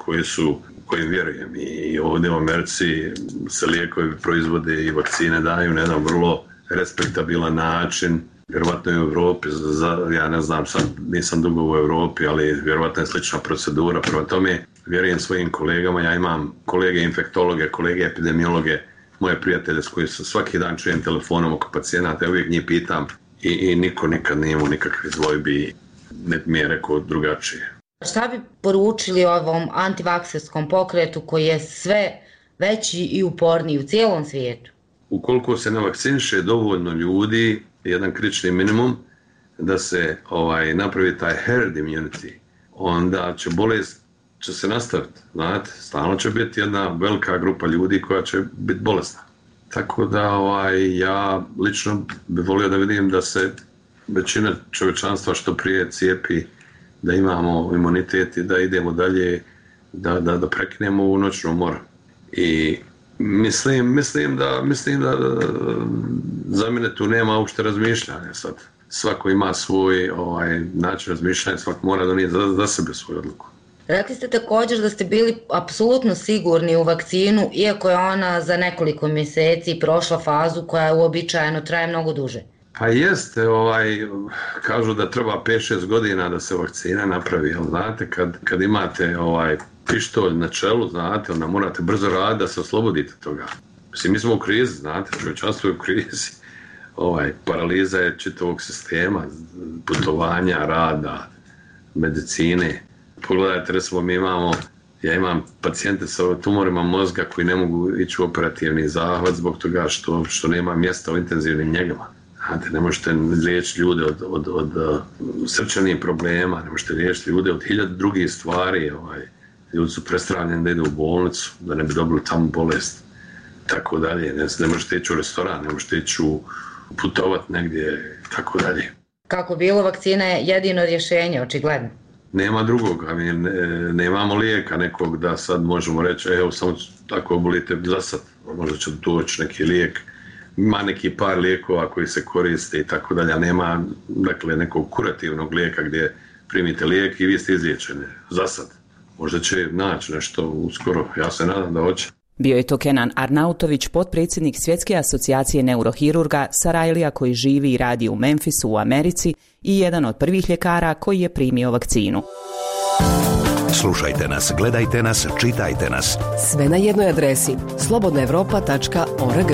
kojim vjerujem i ovdje u Americi se lijekovi proizvode i vakcine daju na jedan vrlo respektabilan način. Vjerovatno je u Europi, ja ne znam, sad nisam dugo u Europi, ali vjerovatno je slična procedura. Prema tome, vjerujem svojim kolegama, ja imam kolege infektologe, kolege epidemiologe, moje prijatelje s koji svaki dan čujem telefonom oko pacijenata, ja uvijek njih pitam i niko nikad nije imao nikakve dvojbi, net mi je rekao drugačije. Šta bi poručili ovom antivakserskom pokretu koji je sve veći i uporniji u cijelom svijetu? Ukoliko se ne vakciniše dovoljno ljudi, jedan kritični minimum, da se napravi taj herd immunity, onda će bolest se nastaviti, znate, stalno će biti jedna velika grupa ljudi koja će biti bolesna. Tako da ja lično bih volio da vidim da se većina čovječanstva što prije cijepi, da imamo imunitet i da idemo dalje, da prekinemo ovu noćnu moru. I mislim da za mene tu nema uopšte razmišljanja sad. Svako ima svoj način razmišljanja, svako mora donijeti za sebe svoju odluku. Rekli ste također da ste bili apsolutno sigurni u vakcinu, iako je ona za nekoliko mjeseci prošla fazu koja uobičajeno traje mnogo duže. Pa jeste, kažu da treba 5-6 godina da se vakcina napravi, jel znate, kad imate pištolj na čelu, znate, onda morate brzo raditi da se oslobodite toga. Mislim, mi smo u krizi, znate, čovječanstvo je u krizi. Paraliza je čitavog sistema, putovanja, rada, medicine. Pogledajte, recimo, ja imam pacijente sa tumorima mozga koji ne mogu ići u operativni zahvat zbog toga što nema mjesta u intenzivnim njegama. Znate, ne možete liječiti ljude od srčanih problema, ne možete liječiti ljude od 1000 drugih stvari. Ljudi su prestravljeni da idu u bolnicu, da ne bi dobili tamo bolest. Tako dalje, ne možete ići u restoran, ne možete ići putovati negdje, tako dalje. Kako bilo, vakcina je jedino rješenje, očigledno. Nema drugog, nemamo lijeka nekog da sad možemo reći, evo samo tako obolite za sad, možda će doći neki lijek. Ima neki par lijekova koji se koriste i tako dalje, a nema nekog kurativnog lijeka gdje primite lijek i vi ste izliječeni, za sad. Možda će naći nešto uskoro, ja se nadam da hoće. Bio je to Kenan Arnautović, potpredsjednik Svjetske asocijacije neurohirurga, Sarajlija koji živi i radi u Memphisu u Americi i jedan od prvih ljekara koji je primio vakcinu. Slušajte nas, gledajte nas, čitajte nas. Sve na jednoj adresi slobodnaevropa.org.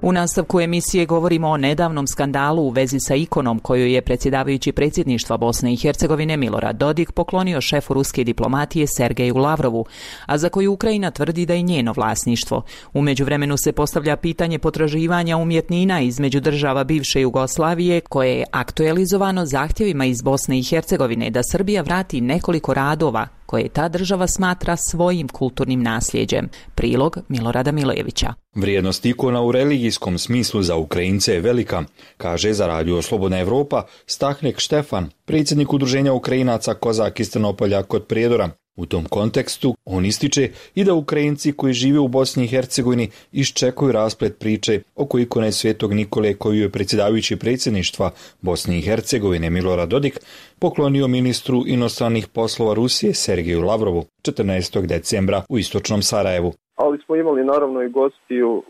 U nastavku emisije govorimo o nedavnom skandalu u vezi sa ikonom koju je predsjedavajući predsjedništva Bosne i Hercegovine Milorad Dodik poklonio šefu ruske diplomatije Sergeju Lavrovu, a za koju Ukrajina tvrdi da je njeno vlasništvo. U međuvremenu se postavlja pitanje potraživanja umjetnina između država bivše Jugoslavije, koje je aktualizovano zahtjevima iz Bosne i Hercegovine da Srbija vrati nekoliko radova koje ta država smatra svojim kulturnim nasljeđem. Prilog Milorada Milojevića. Vrijednost ikona u religijskom smislu za Ukrajince je velika, kaže za radio Slobodna Evropa Stahnek Štefan, predsjednik udruženja Ukrajinaca Kozak iz Trnopolja kod Prijedora. U tom kontekstu on ističe i da Ukrajinci koji žive u Bosni i Hercegovini iščekuju rasplet priče oko ikone Svetog Nikole koju je predsjedavajući predsjedništva Bosne i Hercegovine Milorad Dodik poklonio ministru inostranih poslova Rusije Sergeju Lavrovu 14. decembra u istočnom Sarajevu. Ali smo imali naravno i gostiju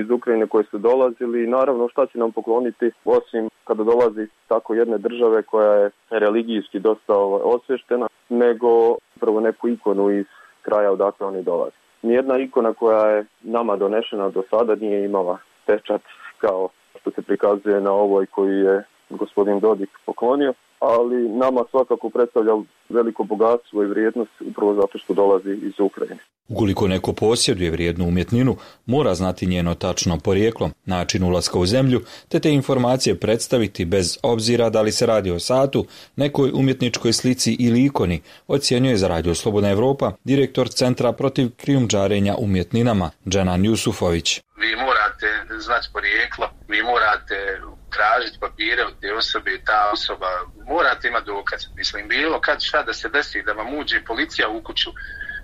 iz Ukrajine koji su dolazili i naravno šta će nam pokloniti osim kada dolazi tako jedne države koja je religijski dosta osvještena, nego upravo neku ikonu iz kraja odakle oni dolaze. Nijedna ikona koja je nama donešena do sada nije imala pečat kao što se prikazuje na ovoj koju je gospodin Dodik poklonio, ali nama svakako predstavlja veliko bogatstvo i vrijednost upravo zato što dolazi iz Ukrajine. Ukoliko neko posjeduje vrijednu umjetninu, mora znati njeno tačno porijeklo, način ulaska u zemlju, te informacije predstaviti bez obzira da li se radi o satu, nekoj umjetničkoj slici ili ikoni, ocjenjuje za radio Slobodna Evropa direktor Centra protiv krijumčarenja umjetninama Dženan Jusufović. Vi morate znati porijeklo, vi morate tražiti papire od te osobe i ta osoba, morate imati dokaz. Mislim, bilo kad šta da se desi, da vam uđe policija u kuću,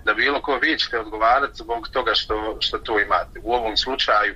da bilo ko vi ćete odgovarati zbog toga što to imate. U ovom slučaju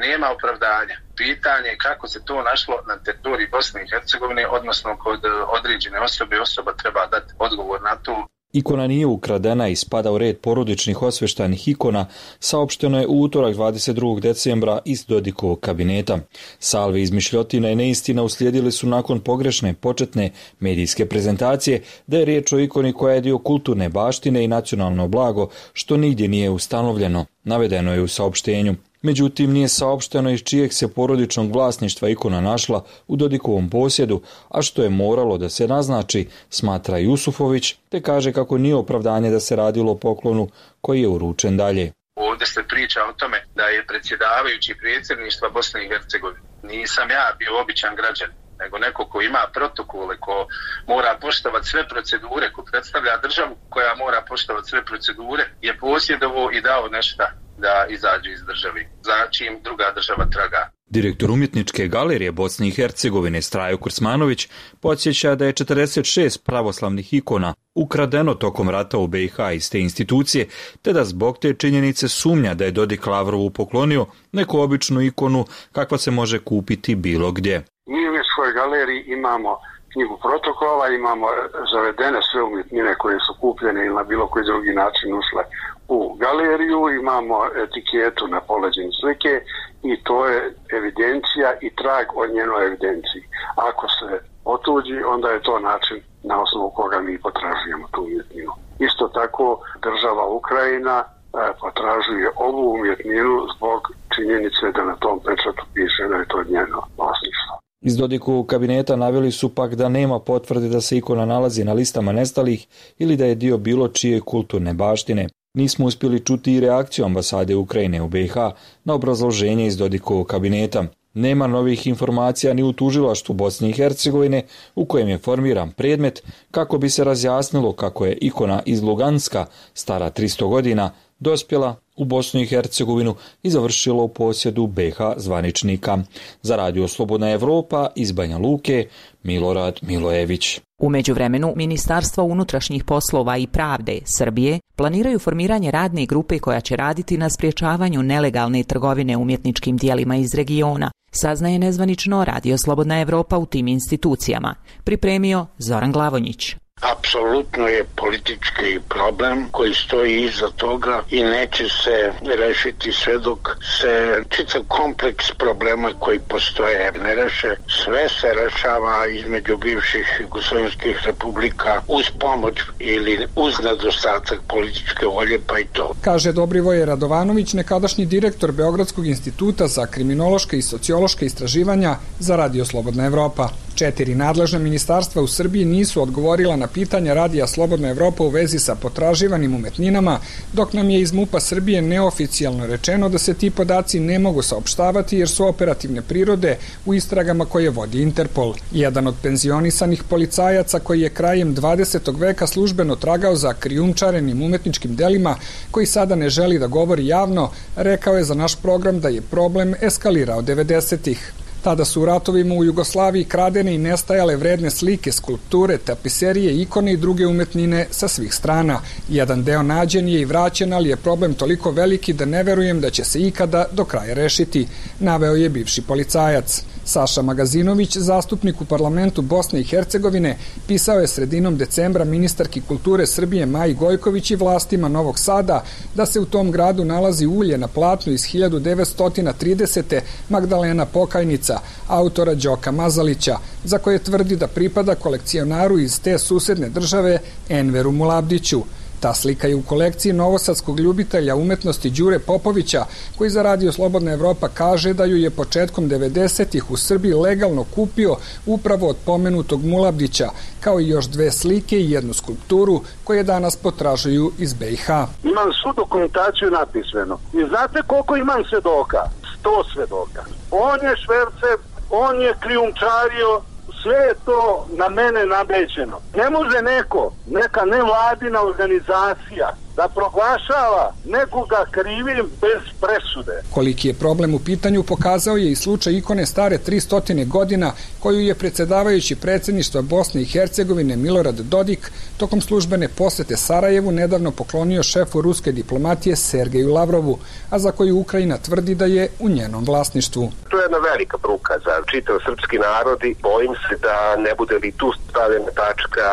nema opravdanja. Pitanje je kako se to našlo na teritoriji Bosne i Hercegovine, odnosno kod određene osobe, osoba treba dati odgovor na to. Ikona nije ukradena i spada u red porodičnih osveštanih ikona, saopšteno je u utorak 22. decembra iz Dodikovog kabineta. Salve izmišljotina i neistina uslijedili su nakon pogrešne početne medijske prezentacije da je riječ o ikoni koja je dio kulturne baštine i nacionalno blago, što nigdje nije ustanovljeno, navedeno je u saopštenju. Međutim, nije saopšteno iz čijeg se porodičnog vlasništva ikona našla u Dodikovom posjedu, a što je moralo da se naznači, smatra Jusufović, te kaže kako nije opravdanje da se radilo o poklonu koji je uručen dalje. Ovdje se priča o tome da je predsjedavajući predsjedništva Bosne i Hercegovine. Nisam ja bio običan građan, nego neko ko ima protokole, ko mora poštovati sve procedure, ko predstavlja državu koja mora poštovati sve procedure, je posjedovo i dao nešto da izađe iz državi, za čim druga država traga. Direktor umjetničke galerije Bosne i Hercegovine Strajo Kursmanović podsjeća da je 46 pravoslavnih ikona ukradeno tokom rata u BiH iz te institucije, te da zbog te činjenice sumnja da je Dodik Lavrovu poklonio neku običnu ikonu kakva se može kupiti bilo gdje. Mi u svojoj galeriji imamo knjigu protokola, imamo zavedene sve umjetnine koje su kupljene ili na bilo koji drugi način ušle u galeriju, imamo etiketu na poleđini slike i to je evidencija i trag o njenoj evidenciji. Ako se otuđi, onda je to način na osnovu koga mi potražujemo tu umjetninu. Isto tako država Ukrajina potražuje ovu umjetninu zbog činjenice da na tom pečatu piše da je to njeno vlasništvo. Iz Dodikovog kabineta naveli su pak da nema potvrde da se ikona nalazi na listama nestalih ili da je dio bilo čije kulturne baštine. Nismo uspjeli čuti i reakciju ambasade Ukrajine u BiH na obrazloženje iz Dodikovog kabineta. Nema novih informacija ni u tužilaštvu Bosne i Hercegovine u kojem je formiran predmet kako bi se razjasnilo kako je ikona iz Luganska, stara 300 godina, dospjela u Bosnu i Hercegovinu i završila u posjedu BiH zvaničnika. Za radio Slobodna Evropa iz Banja Luke, Milorad Milojević. U međuvremenu, Ministarstva unutrašnjih poslova i pravde Srbije planiraju formiranje radne grupe koja će raditi na sprječavanju nelegalne trgovine umjetničkim dijelima iz regiona, saznaje nezvanično radio Slobodna Evropa u tim institucijama. Pripremio Zoran Glavonjić. Apsolutno je politički problem koji stoji iza toga i neće se rešiti sve dok se čitav kompleks problema koji postoje ne reše. Sve se rešava između bivših jugoslovenskih republika uz pomoć ili uz nedostatak političke volje, pa i to. Kaže Dobrivoje Radovanović, nekadašnji direktor Beogradskog instituta za kriminološke i sociološke istraživanja za Radio Slobodna Evropa. 4 nadležna ministarstva u Srbiji nisu odgovorila na pitanja Radija Slobodna Evropa u vezi sa potraživanim umetninama, dok nam je iz MUP-a Srbije neoficijalno rečeno da se ti podaci ne mogu saopštavati jer su operativne prirode u istragama koje vodi Interpol. Jedan od penzionisanih policajaca koji je krajem 20. veka službeno tragao za krijumčarenim umetničkim delima, koji sada ne želi da govori javno, rekao je za naš program da je problem eskalirao 90-ih. Tada su u ratovima u Jugoslaviji kradene i nestajale vredne slike, skulpture, tapiserije, ikone i druge umetnine sa svih strana. Jedan deo nađen je i vraćen, ali je problem toliko veliki da ne verujem da će se ikada do kraja rešiti, naveo je bivši policajac. Saša Magazinović, zastupnik u parlamentu Bosne i Hercegovine, pisao je sredinom decembra ministarki kulture Srbije Maji Gojković i vlastima Novog Sada da se u tom gradu nalazi ulje na platnu iz 1930. Magdalena Pokajnica, autora Đoka Mazalića, za koje tvrdi da pripada kolekcionaru iz te susedne države Enveru Mulabdiću. Ta slika je u kolekciji novosadskog ljubitelja umetnosti Đure Popovića, koji za Radio Slobodna Evropa kaže da ju je početkom 90-ih u Srbiji legalno kupio upravo od pomenutog Mulabdića, kao i još 2 slike i 1 skulpturu koje danas potražuju iz BiH. Imam svu dokumentaciju napismeno. I znate koliko imam svedoka? 100 svedoka. On je švercer, on je krijumčario, sve je to na mene nabeđeno. Ne može neka nevladina organizacija da proglašava nekoga krivim bez presude. Koliki je problem u pitanju pokazao je i slučaj ikone stare 300 godina koju je predsjedavajući predsjedništva Bosne i Hercegovine Milorad Dodik tokom službene posete Sarajevu nedavno poklonio šefu ruske diplomatije Sergeju Lavrovu, a za koju Ukrajina tvrdi da je u njenom vlasništvu. To je jedna velika bruka za čitav srpski narod i bojim se da ne bude li tu stavljena tačka,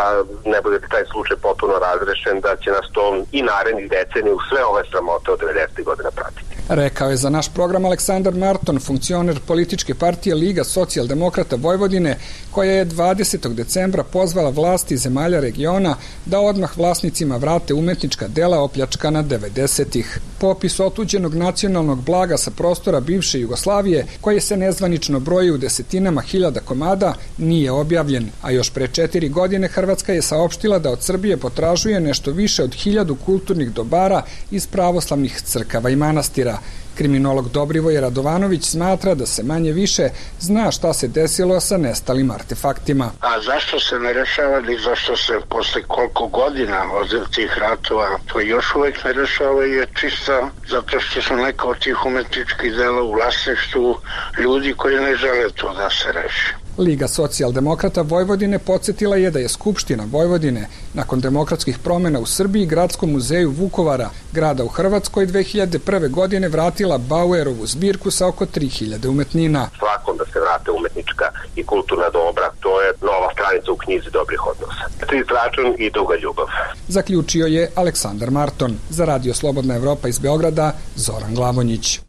ne bude li taj slučaj potpuno razrešen, da će nas to i narednih deceniju sve ove sramote od 90. godina pratiti. Rekao je za naš program Aleksandar Marton, funkcioner političke partije Liga socijaldemokrata Vojvodine, koja je 20. decembra pozvala vlasti zemalja regiona da odmah vlasnicima vrate umetnička dela opljačkana 90-ih. Popis otuđenog nacionalnog blaga sa prostora bivše Jugoslavije, koje se nezvanično broji u desetinama hiljada komada, nije objavljen, a još pre 4 godine Hrvatska je saopštila da od Srbije potražuje nešto više od 1000 kulturnih dobara iz pravoslavnih crkava i manastira. Kriminolog Dobrivoje Radovanović smatra da se manje više zna šta se desilo sa nestalim artefaktima. A zašto se ne rešava ili zašto se posle koliko godina od tih ratova to još uvek ne rešava je čista zato što su neka od tih umetničkih dela u vlasništvu ljudi koji ne žele to da se reši. Liga socijaldemokrata Vojvodine podsjetila je da je Skupština Vojvodine nakon demokratskih promjena u Srbiji Gradskom muzeju Vukovara, grada u Hrvatskoj, 2001. godine vratila Bauerovu zbirku sa oko 3000 umetnina. Svakom da se vrate umetnička i kulturna dobra, to je nova stranica u knjizi dobrih odnosa. Čist račun i duga ljubav. Zaključio je Aleksandar Marton. Za Radio Slobodna Evropa iz Beograda, Zoran Glavonjić.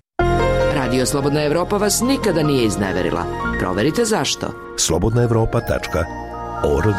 Radio Slobodna Evropa vas nikada nije izneverila. Proverite zašto. slobodnaevropa.org.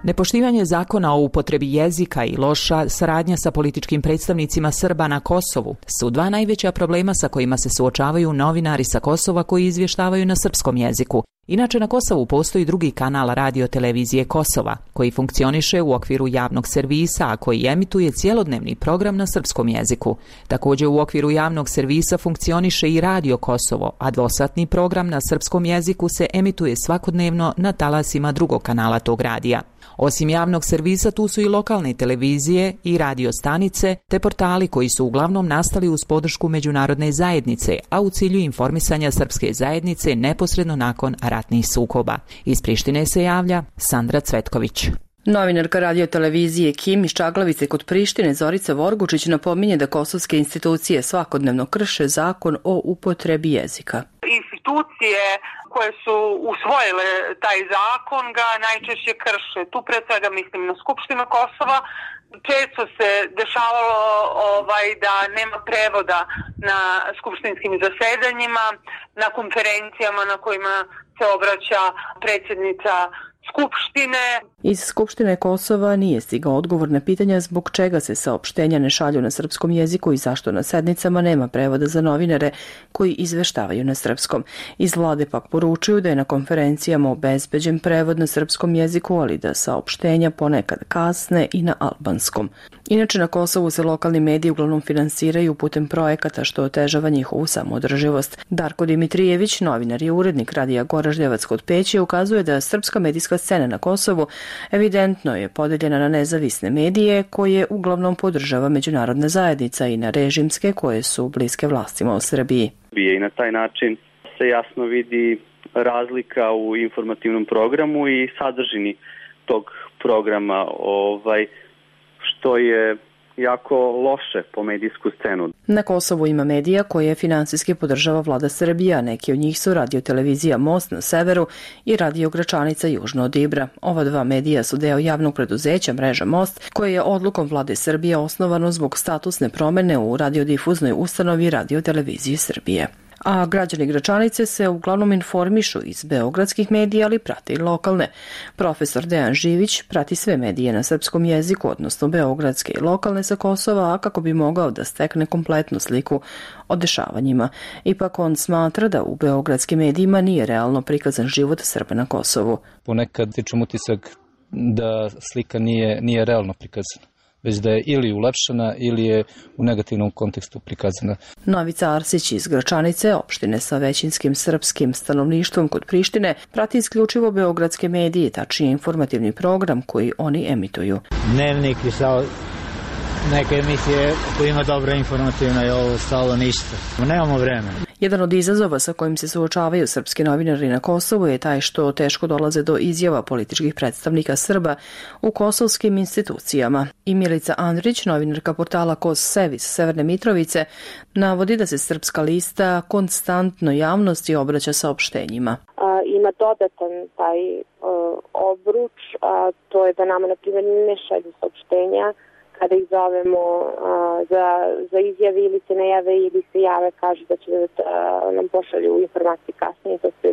Nepoštivanje zakona o upotrebi jezika i loša saradnja sa političkim predstavnicima Srba na Kosovu su 2 najveća problema sa kojima se suočavaju novinari sa Kosova koji izvještavaju na srpskom jeziku. Inače, na Kosovu postoji drugi kanal Radio Televizije Kosova, koji funkcioniše u okviru javnog servisa, a koji emituje cjelodnevni program na srpskom jeziku. Također u okviru javnog servisa funkcioniše i Radio Kosovo, a dvosatni program na srpskom jeziku se emituje svakodnevno na talasima drugog kanala tog radija. Osim javnog servisa, tu su i lokalne televizije i radio stanice, te portali koji su uglavnom nastali uz podršku međunarodne zajednice, a u cilju informisanja srpske zajednice neposredno nakon ratnih sukoba. Iz Prištine se javlja Sandra Cvetković. Novinarka radio televizije Kim iz Čaglavice kod Prištine Zorica Vorgučić napominje da kosovske institucije svakodnevno krše zakon o upotrebi jezika. Institucije koje su usvojile taj zakon ga najčešće krše. Tu pre svega mislim na Skupštinu Kosova. Često se dešavalo da nema prevoda na skupštinskim zasedanjima, na konferencijama na kojima se obraća predsjednica Skupštine. Iz Skupštine Kosova nije stigao odgovor na pitanja zbog čega se saopštenja ne šalju na srpskom jeziku i zašto na sednicama nema prevoda za novinare koji izveštavaju na srpskom. Iz vlade pak poručuju da je na konferencijama obezbeđen prevod na srpskom jeziku, ali da saopštenja ponekad kasne i na albanskom. Inače, na Kosovu se lokalni mediji uglavnom finansiraju putem projekata što otežava njihovu samoodrživost. Darko Dimitrijević, novinar i urednik radija Goraždevac kod Peći, ukazuje da srpska medijska scena na Kosovu evidentno je podeljena na nezavisne medije koje uglavnom podržava međunarodna zajednica i na režimske koje su bliske vlastima u Srbiji. I na taj način se jasno vidi razlika u informativnom programu i sadržini tog programa, što je jako loše po medijsku scenu. Na Kosovu ima medija koje finansijski podržava vlada Srbije, a neki od njih su Radio-televizija Most na severu i Radio Gračanica južno od Ibra. Ova dva medija su deo javnog preduzeća mreža Most, koje je odlukom vlade Srbije osnovano zbog statusne promene u radiodifuznoj ustanovi Radio-televizije Srbije. A građani Gračanice se uglavnom informišu iz beogradskih medija, ali prate i lokalne. Profesor Dejan Živić prati sve medije na srpskom jeziku, odnosno beogradske i lokalne sa Kosova, a kako bi mogao da stekne kompletnu sliku o dešavanjima. Ipak on smatra da u beogradskim medijima nije realno prikazan život Srba na Kosovu. Ponekad stičem utisak da slika nije realno prikazana, već da je ili ulepšana ili je u negativnom kontekstu prikazana. Novica Arsić iz Gračanice, opštine sa većinskim srpskim stanovništvom kod Prištine, prati isključivo beogradske medije, tačnije informativni program koji oni emituju. Dnevnik i neke emisije koje ima dobro informativno i ovo stalo ništa. Nemamo vremena. Jedan od izazova sa kojim se suočavaju srpski novinari na Kosovu je taj što teško dolaze do izjava političkih predstavnika Srba u kosovskim institucijama. I Milica Andrić, novinarka portala Kos Sev iz Severne Mitrovice, navodi da se Srpska lista konstantno javnosti obraća saopštenjima. Ima dodatan taj obruč, a to je da nama, na primjer, ne šalju saopštenja kada ih zovemo za izjave ili se ne jave ili se jave, kažu da će da nam pošalju informacije kasnije, to se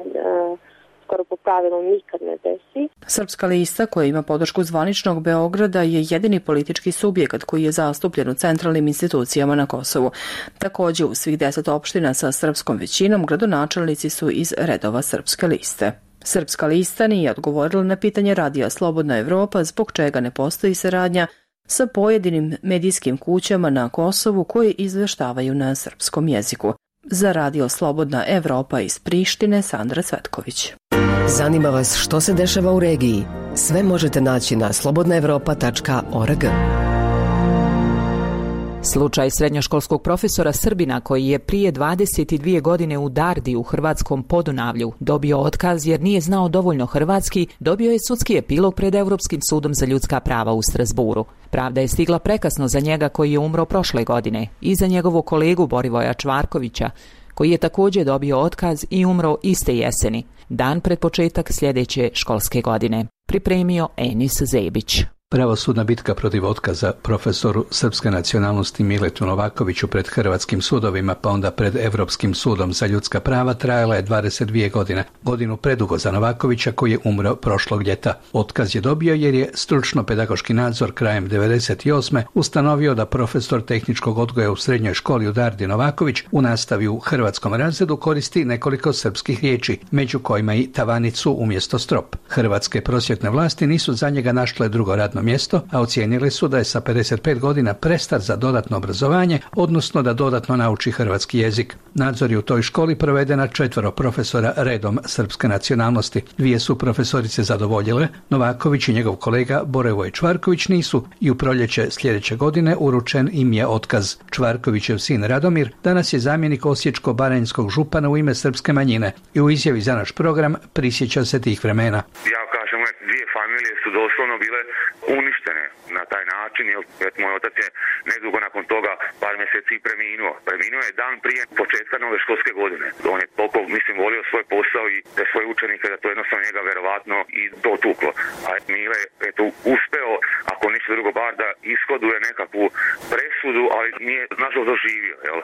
skoro po pravilu nikad ne desi. Srpska lista, koja ima podršku zvaničnog Beograda, je jedini politički subjekat koji je zastupljen u centralnim institucijama na Kosovu. Takođe, u svih 10 opština sa srpskom većinom gradonačelnici su iz redova Srpske liste. Srpska lista nije odgovorila na pitanje radija Slobodna Evropa zbog čega ne postoji saradnja sa pojedinim medijskim kućama na Kosovu koji izveštavaju na srpskom jeziku. Za radio Slobodna Evropa iz Prištine, Sandra Cvetković. Zanima vas što se dešava u regiji? Sve možete naći na slobodnaevropa.org. Slučaj srednjoškolskog profesora Srbina koji je prije 22 godine u Dardi u hrvatskom Podunavlju dobio otkaz jer nije znao dovoljno hrvatski, dobio je sudski epilog pred Europskim sudom za ljudska prava u Strasburu. Pravda je stigla prekasno za njega koji je umro prošle godine i za njegovog kolegu Borivoja Čvarkovića, koji je također dobio otkaz i umro iste jeseni, dan pred početak sljedeće školske godine. Pripremio Enis Zebić. Pravosudna bitka protiv otkaza profesoru srpske nacionalnosti Miletu Novakoviću pred hrvatskim sudovima pa onda pred Europskim sudom za ljudska prava trajala je 22 godine. Godinu predugo za Novakovića koji je umro prošlog ljeta. Otkaz je dobio jer je stručno-pedagoški nadzor krajem 1998. ustanovio da profesor tehničkog odgoja u srednjoj školi u Dardi Novaković u nastavi u hrvatskom razredu koristi nekoliko srpskih riječi, među kojima i tavanicu umjesto strop. Hrvatske prosvjetne vlasti nisu za njega našle drugo radno mjesto, a ocijenili su da je sa 55 godina prestar za dodatno obrazovanje, odnosno da dodatno nauči hrvatski jezik. Nadzor je u toj školi proveden na 4 profesora redom srpske nacionalnosti. 2 su profesorice zadovoljile, Novaković i njegov kolega Borevoj Čvarković nisu i u proljeće sljedeće godine uručen im je otkaz. Čvarkovićev sin Radomir danas je zamjenik osječko-baranjskog župana u ime srpske manjine i u izjavi za naš program prisjeća se tih vremena. Ja kažem, dvije familije su doslovno doslovno bile uništene na taj način, jer moj otac je nedugo nakon toga par mjeseci preminuo. Preminuo je dan prije početka nove školske godine. On je toliko, mislim, volio svoj posao i te svoje učenike da to jednostavno njega verovatno i dotuklo. A Mile je tu uspeo, ako ništa drugo, bar da ishoduje nekakvu presudu, ali nije nažalost doživio. Jel?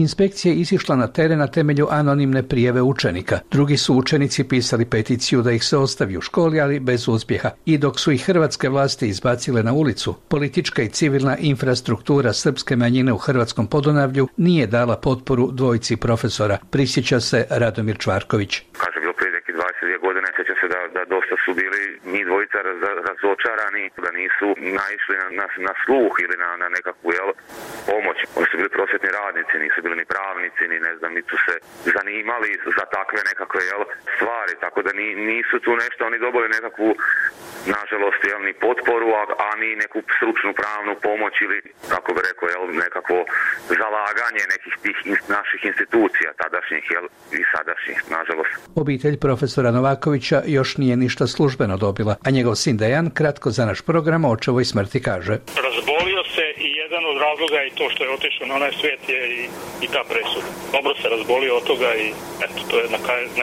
Inspekcija je izišla na teren na temelju anonimne prijave učenika. Drugi su učenici pisali peticiju da ih se ostavi u školi, ali bez uspjeha. I dok su ih hrvatske vlasti izbacile na ulicu, politička i civilna infrastruktura srpske manjine u Hrvatskom Podunavlju nije dala potporu dvojici profesora, prisjeća se Radomir Čvarković. Kaže, bilo prije neki 22 godine, sjećam se da dosta su bili njih dvojica razočarani, da nisu naišli na sluh ili na nekakvu pomoć. Oni su bili prosvjetni radnici, nisu bili ni pravnici, ni ne znam, niti su se zanimali za takve nekakve stvari, tako da nisu tu nešto, oni dobili nekakvu, nažalost, ni potporu, a ni neku stručnu pravnu pomoć ili, kako bi rekao, nekakvo zalaganje nekih tih naših institucija, tadašnjih i sadašnjih, nažalost. Obitelj profesora Novakovića još nije ništa službeno dobila, a njegov sin Dejan kratko za naš program o očevoj smrti kaže. Razbolio se i jedan od razloga je to što je otišao na onaj svijet je i ta presuda. Dobro se razbolio od toga i eto, to je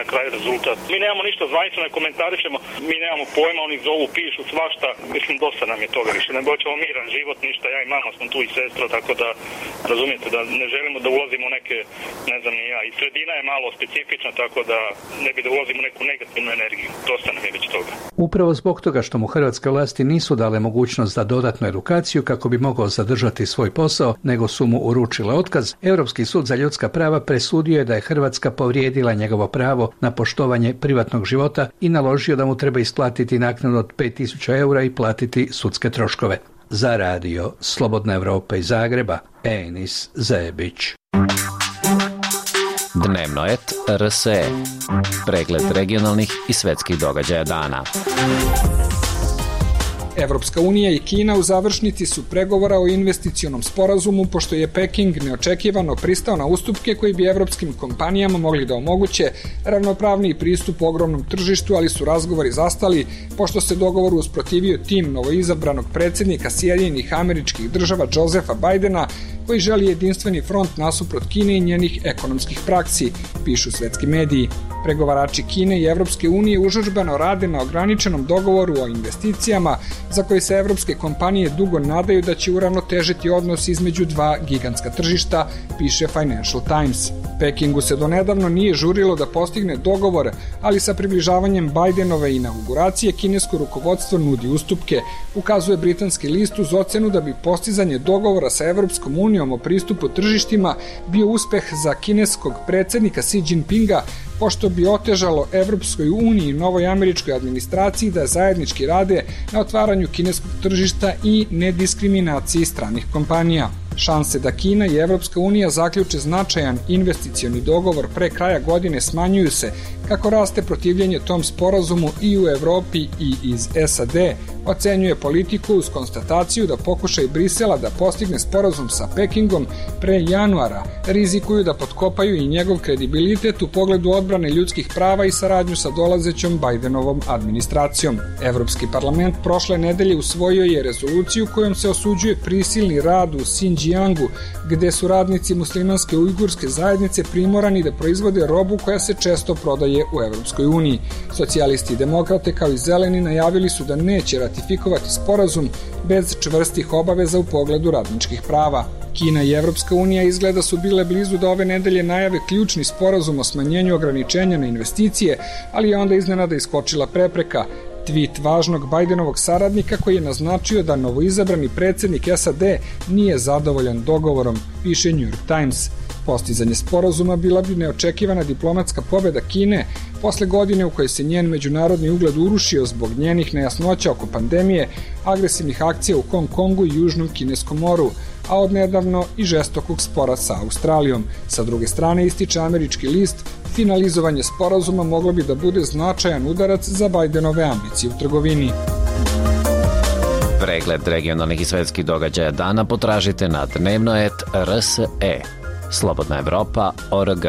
na kraju rezultat. Mi nemamo ništa zvanično, ne komentarišemo, mi nemamo pojma, oni zovu, pišu svašta, mislim dosta nam je toga više, ne hoćemo miran život, ništa, ja i mama smo tu i sestra, tako da razumijete da ne želimo da ulazimo u neke, ne znam ni ja, i sredina je malo specifična, tako da ne bi da ulazimo u neku negativnu energiju, dosta nam je već toga. Upravo zbog toga što mu hrvatske vlasti nisu dale mogućnost za dodatnu edukaciju kako bi mogao zadržati svoj posao, nego su mu uručile otkaz, Europski sud za ljudska prava presudio je da je Hrvatska povrijedila njegovo pravo na poštovanje privatnog života i naložio da mu treba isplatiti naknadu od 5.000 eura i platiti sudske troškove. Za radio Slobodna Evropa iz Zagreba, Enis Zebić. Dnevnoet RSE. Pregled regionalnih i svetskih događaja dana. Evropska unija i Kina u završnici su pregovora o investicionom sporazumu, pošto je Peking neočekivano pristao na ustupke koji bi evropskim kompanijama mogli da omoguće ravnopravniji pristup ogromnom tržištu, ali su razgovori zastali pošto se dogovoru usprotivio tim novoizabranog predsjednika Sjedinjenih Američkih Država Josefa Bidena, koji želi jedinstveni front nasuprot Kine i njenih ekonomskih praksi, pišu svetski mediji. Pregovarači Kine i Evropske unije užurbano rade na ograničenom dogovoru o investicijama za koji se evropske kompanije dugo nadaju da će uravnotežiti odnos između dva gigantska tržišta, piše Financial Times. Pekingu se donedavno nije žurilo da postigne dogovor, ali sa približavanjem Bidenove inauguracije kinesko rukovodstvo nudi ustupke, ukazuje britanski list uz ocenu da bi postizanje dogovora sa Evropskom unijom o pristupu tržištima bio uspeh za kineskog predsjednika Xi Jinpinga, pošto bi otežalo Evropskoj uniji i novoj američkoj administraciji da zajednički rade na otvaranju kineskog tržišta i nediskriminaciji stranih kompanija. Šanse da Kina i Evropska unija zaključe značajan investicioni dogovor pre kraja godine smanjuju se kako raste protivljenje tom sporazumu i u Evropi i iz SAD, ocenjuje Politiku uz konstataciju da pokušaj Brisela da postigne sporazum sa Pekingom pre januara rizikuju da potkopaju i njegov kredibilitet u pogledu odbrane ljudskih prava i saradnju sa dolazećom Bidenovom administracijom. Evropski parlament prošle nedelje usvojio je rezoluciju kojom se osuđuje prisilni rad u Xinjiangu, gde su radnici muslimanske ujgurske zajednice primorani da proizvode robu koja se često prodaje u Evropskoj uniji. Socijalisti i demokrate kao i zeleni najavili su da neće ratifikovati sporazum bez čvrstih obaveza u pogledu radničkih prava. Kina i Evropska unija izgleda su bile blizu da ove nedelje najave ključni sporazum o smanjenju ograničenja na investicije, ali je onda iznenada iskočila prepreka. Tweet važnog Bidenovog saradnika koji je naznačio da novoizabrani predsjednik SAD nije zadovoljan dogovorom, piše New York Times. Postizanje sporazuma bila bi neočekivana diplomatska pobjeda Kine posle godine u kojoj se njen međunarodni ugled urušio zbog njenih nejasnoća oko pandemije, agresivnih akcija u Hong Kongu i Južnom Kineskom moru, a odnedavno i žestokog spora sa Australijom. Sa druge strane, ističe američki list, finalizovanje sporazuma moglo bi da bude značajan udarac za Bidenove ambicije u trgovini. Pregled regionalnih i svetskih događaja dana potražite na dnevnoet.rs.e. Slobodna Evropa.org.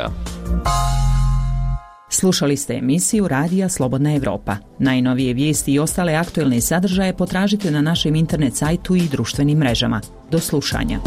Slušali ste emisiju Radija Slobodna Evropa. Najnovije vijesti i ostale aktuelne sadržaje potražite na našem internet sajtu i društvenim mrežama. Do slušanja.